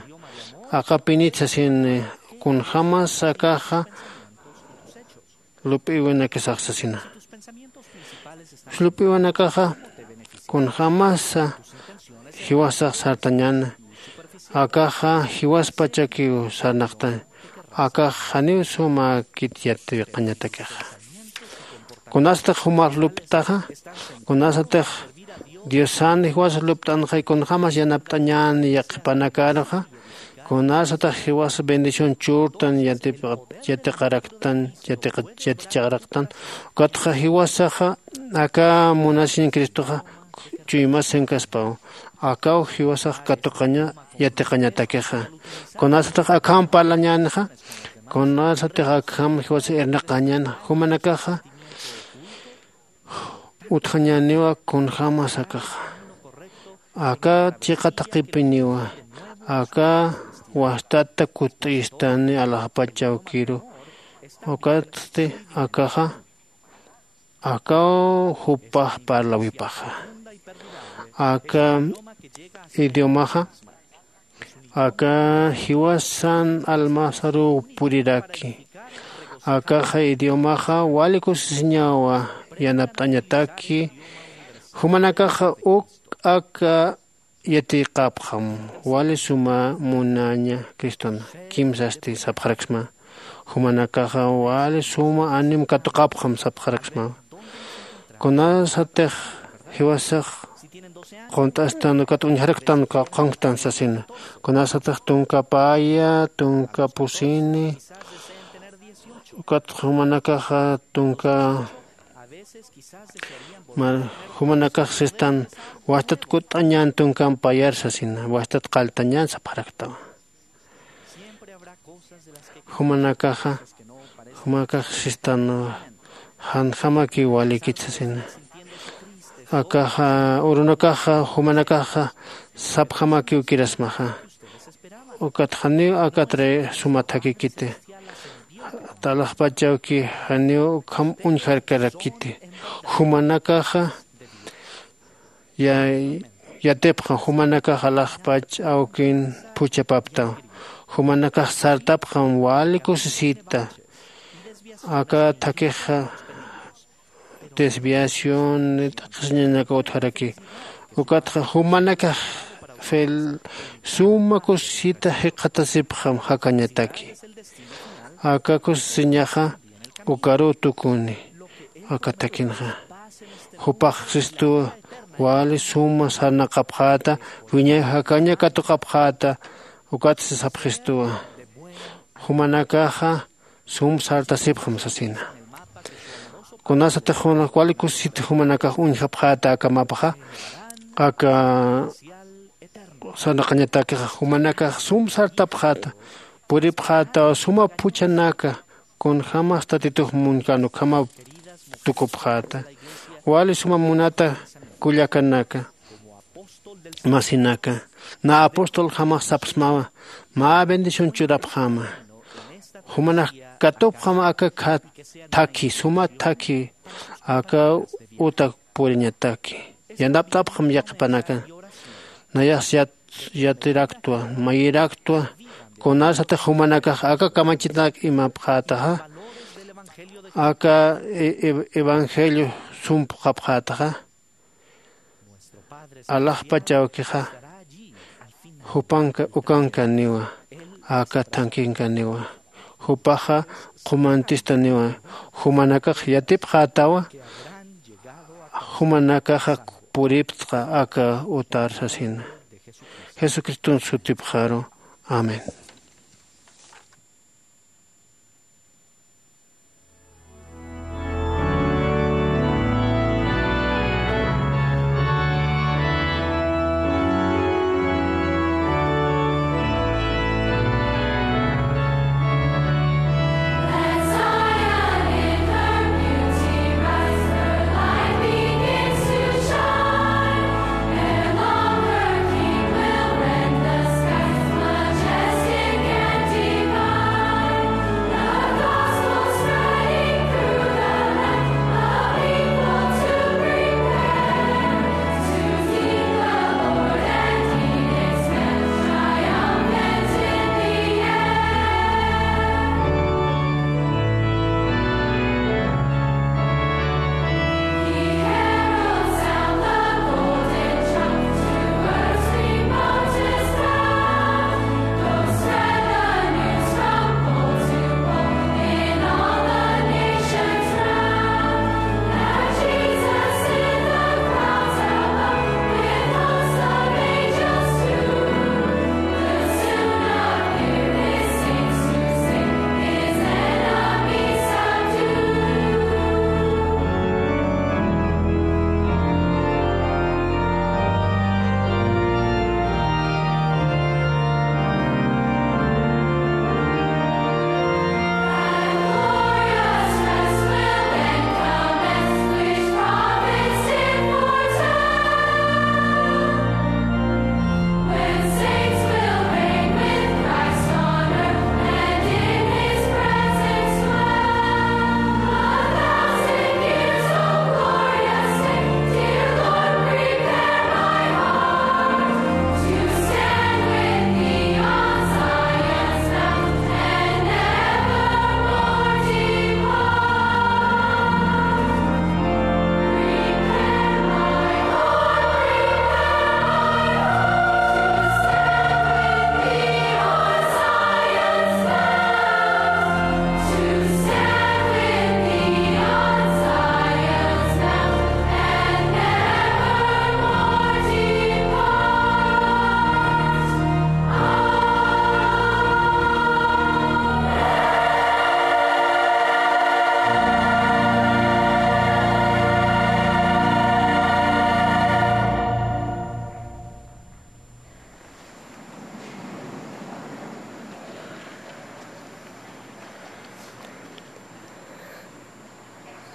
Aqapinit sasini, kunjämas akaxa lup'iwinakasax sasina. Lup'iwinakaxa kunjämasa jiwasax sartañäna, akaxa jiwaspachakiw sarnaqtañ. Akax janiw sumäkit yatiqañatakixa. Kunasatix jumax luptaxa, kunasatix diosan jiwas lupt'anxay kunjämas yanapt'añän yaqhipanakaruxa, kunasatix jiwas bendición churtan yatiqaraktan, yatiqaraktan, ukatxa jiwasaxa aka munasiñ cristoxa chuymasankaspaw, akaw jiwasax katuqaña yatiqañatakixa. Kunasatix akham parlañänixa, kunasatix akham jiwasa irnaqañäna, jumanakaxa utjañäniwa kunjämas akaxa. Aka chiqa thaqhipiniwa, aka wastata kutt'istani alaxpach awkiru. Ukatsti akaxa akaw jupax parlawipaxa. Aka idiomaxa aka jiwasan almasaruw puriraki. Akaxa idiomaxa wali kusisiñawa yanapt'añataki. Jumanakaxa uk aka yatiqapxam, wali suma munaña cristona. Kimsasti sapxaraksma, jumanakaxa wali suma anim katuqapxam sapxaraksma. Kunasatix jiwasax qunt'astan ukat uñjaraktan qawqhanktan sasina. Kunasatix tunka paya, tunka pusini, ukat jumanakaxa tunka, jumanakax sistan wastat kutt'añän tunkamp payar sasina, wastat qalltañän sapxaraktawa. Jumanakaxa, jumanakax sistan janjamakiw walikit sasina. Akaxa urunakaxa jumanakaxa sapjamakiw kirasmaxa. Ukat janiw akatri suma thakikiti. Alaxpach awki janiw ukham uñjarkarakiti. Jumanakaxa ya yatipxam, jumanakax alaxpach awkin phuchhapaptaw. Jumanakax sartapxam wali kusisita. Aka thakixa desviación t'aqhisiñanaka utjaraki. Ukatxa jumanakax fel suma kusisita jikxatasipxam jakañataki. Aka kusisiñaxa ukaruw tukuni. Aka thakinxa jupax sistuwa wali suma sarnaqapxäta, wiñay jakaña katuqapxäta. Ukatsti sapxistuwa, jumanakaxa sum sartasipxam sasina. Kunasatix wali kusisita jumanakax uñjapxäta aka mapaxa, aka sarnaqañatakixa jumanakax sum sartapxäta, puripxätaw suma phuchhanaka. Kunjämas tatitux munkän ukhamaw tukupxäta. Wali suma munata kullakanaka, masinaka, na apostoljamas sapxsmawa, mä bendición churapxäma. Jumanak katupxam aka thakhi, suma thakhi, aka utak puriñataki. Yanapt'apxam yaqhipanaka. Nayax yat yatiraktwa, mayiraktwa, kunasatix jumanakax aka kamachinak imapxätaxa, aka e- e- evangelio sum phuqhapxätaxa. Alaxpach awkixa jupanka ukankaniwa, aka thankinkaniwa. Jupaxa qhumantistaniwa. Jumanakax yatipxätawa, jumanakaxa puripxta aka utar sasina. Jesucriston sutipxaru. Amén.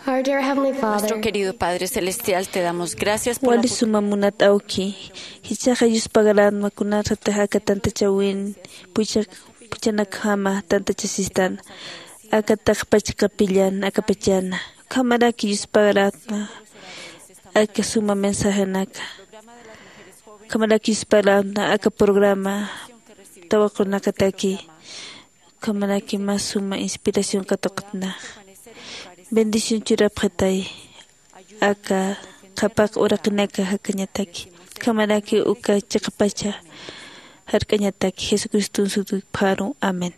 Our dear Heavenly Father, nuestro querido Padre Celestial, te damos gracias por la wali suma munat awki, jichhaxa yuspagaratma kunasatix aka tantachawin puchak puchanakjama tantachasistan aka taqpach kapillan akapachana. Ukhamaraki yuspagaratma aka suma mensajenaka. Ukhamaraki yuspagaratma aka programa tawaqunakataki. Ukhamaraki mä suma inspiración katuqtnax. Bendición churapxitay aka qhapaq uraqinaka jakañataki. Ukhamaraki uka chiqapacha jark'añataki jesucriston sutipxaru. Amén.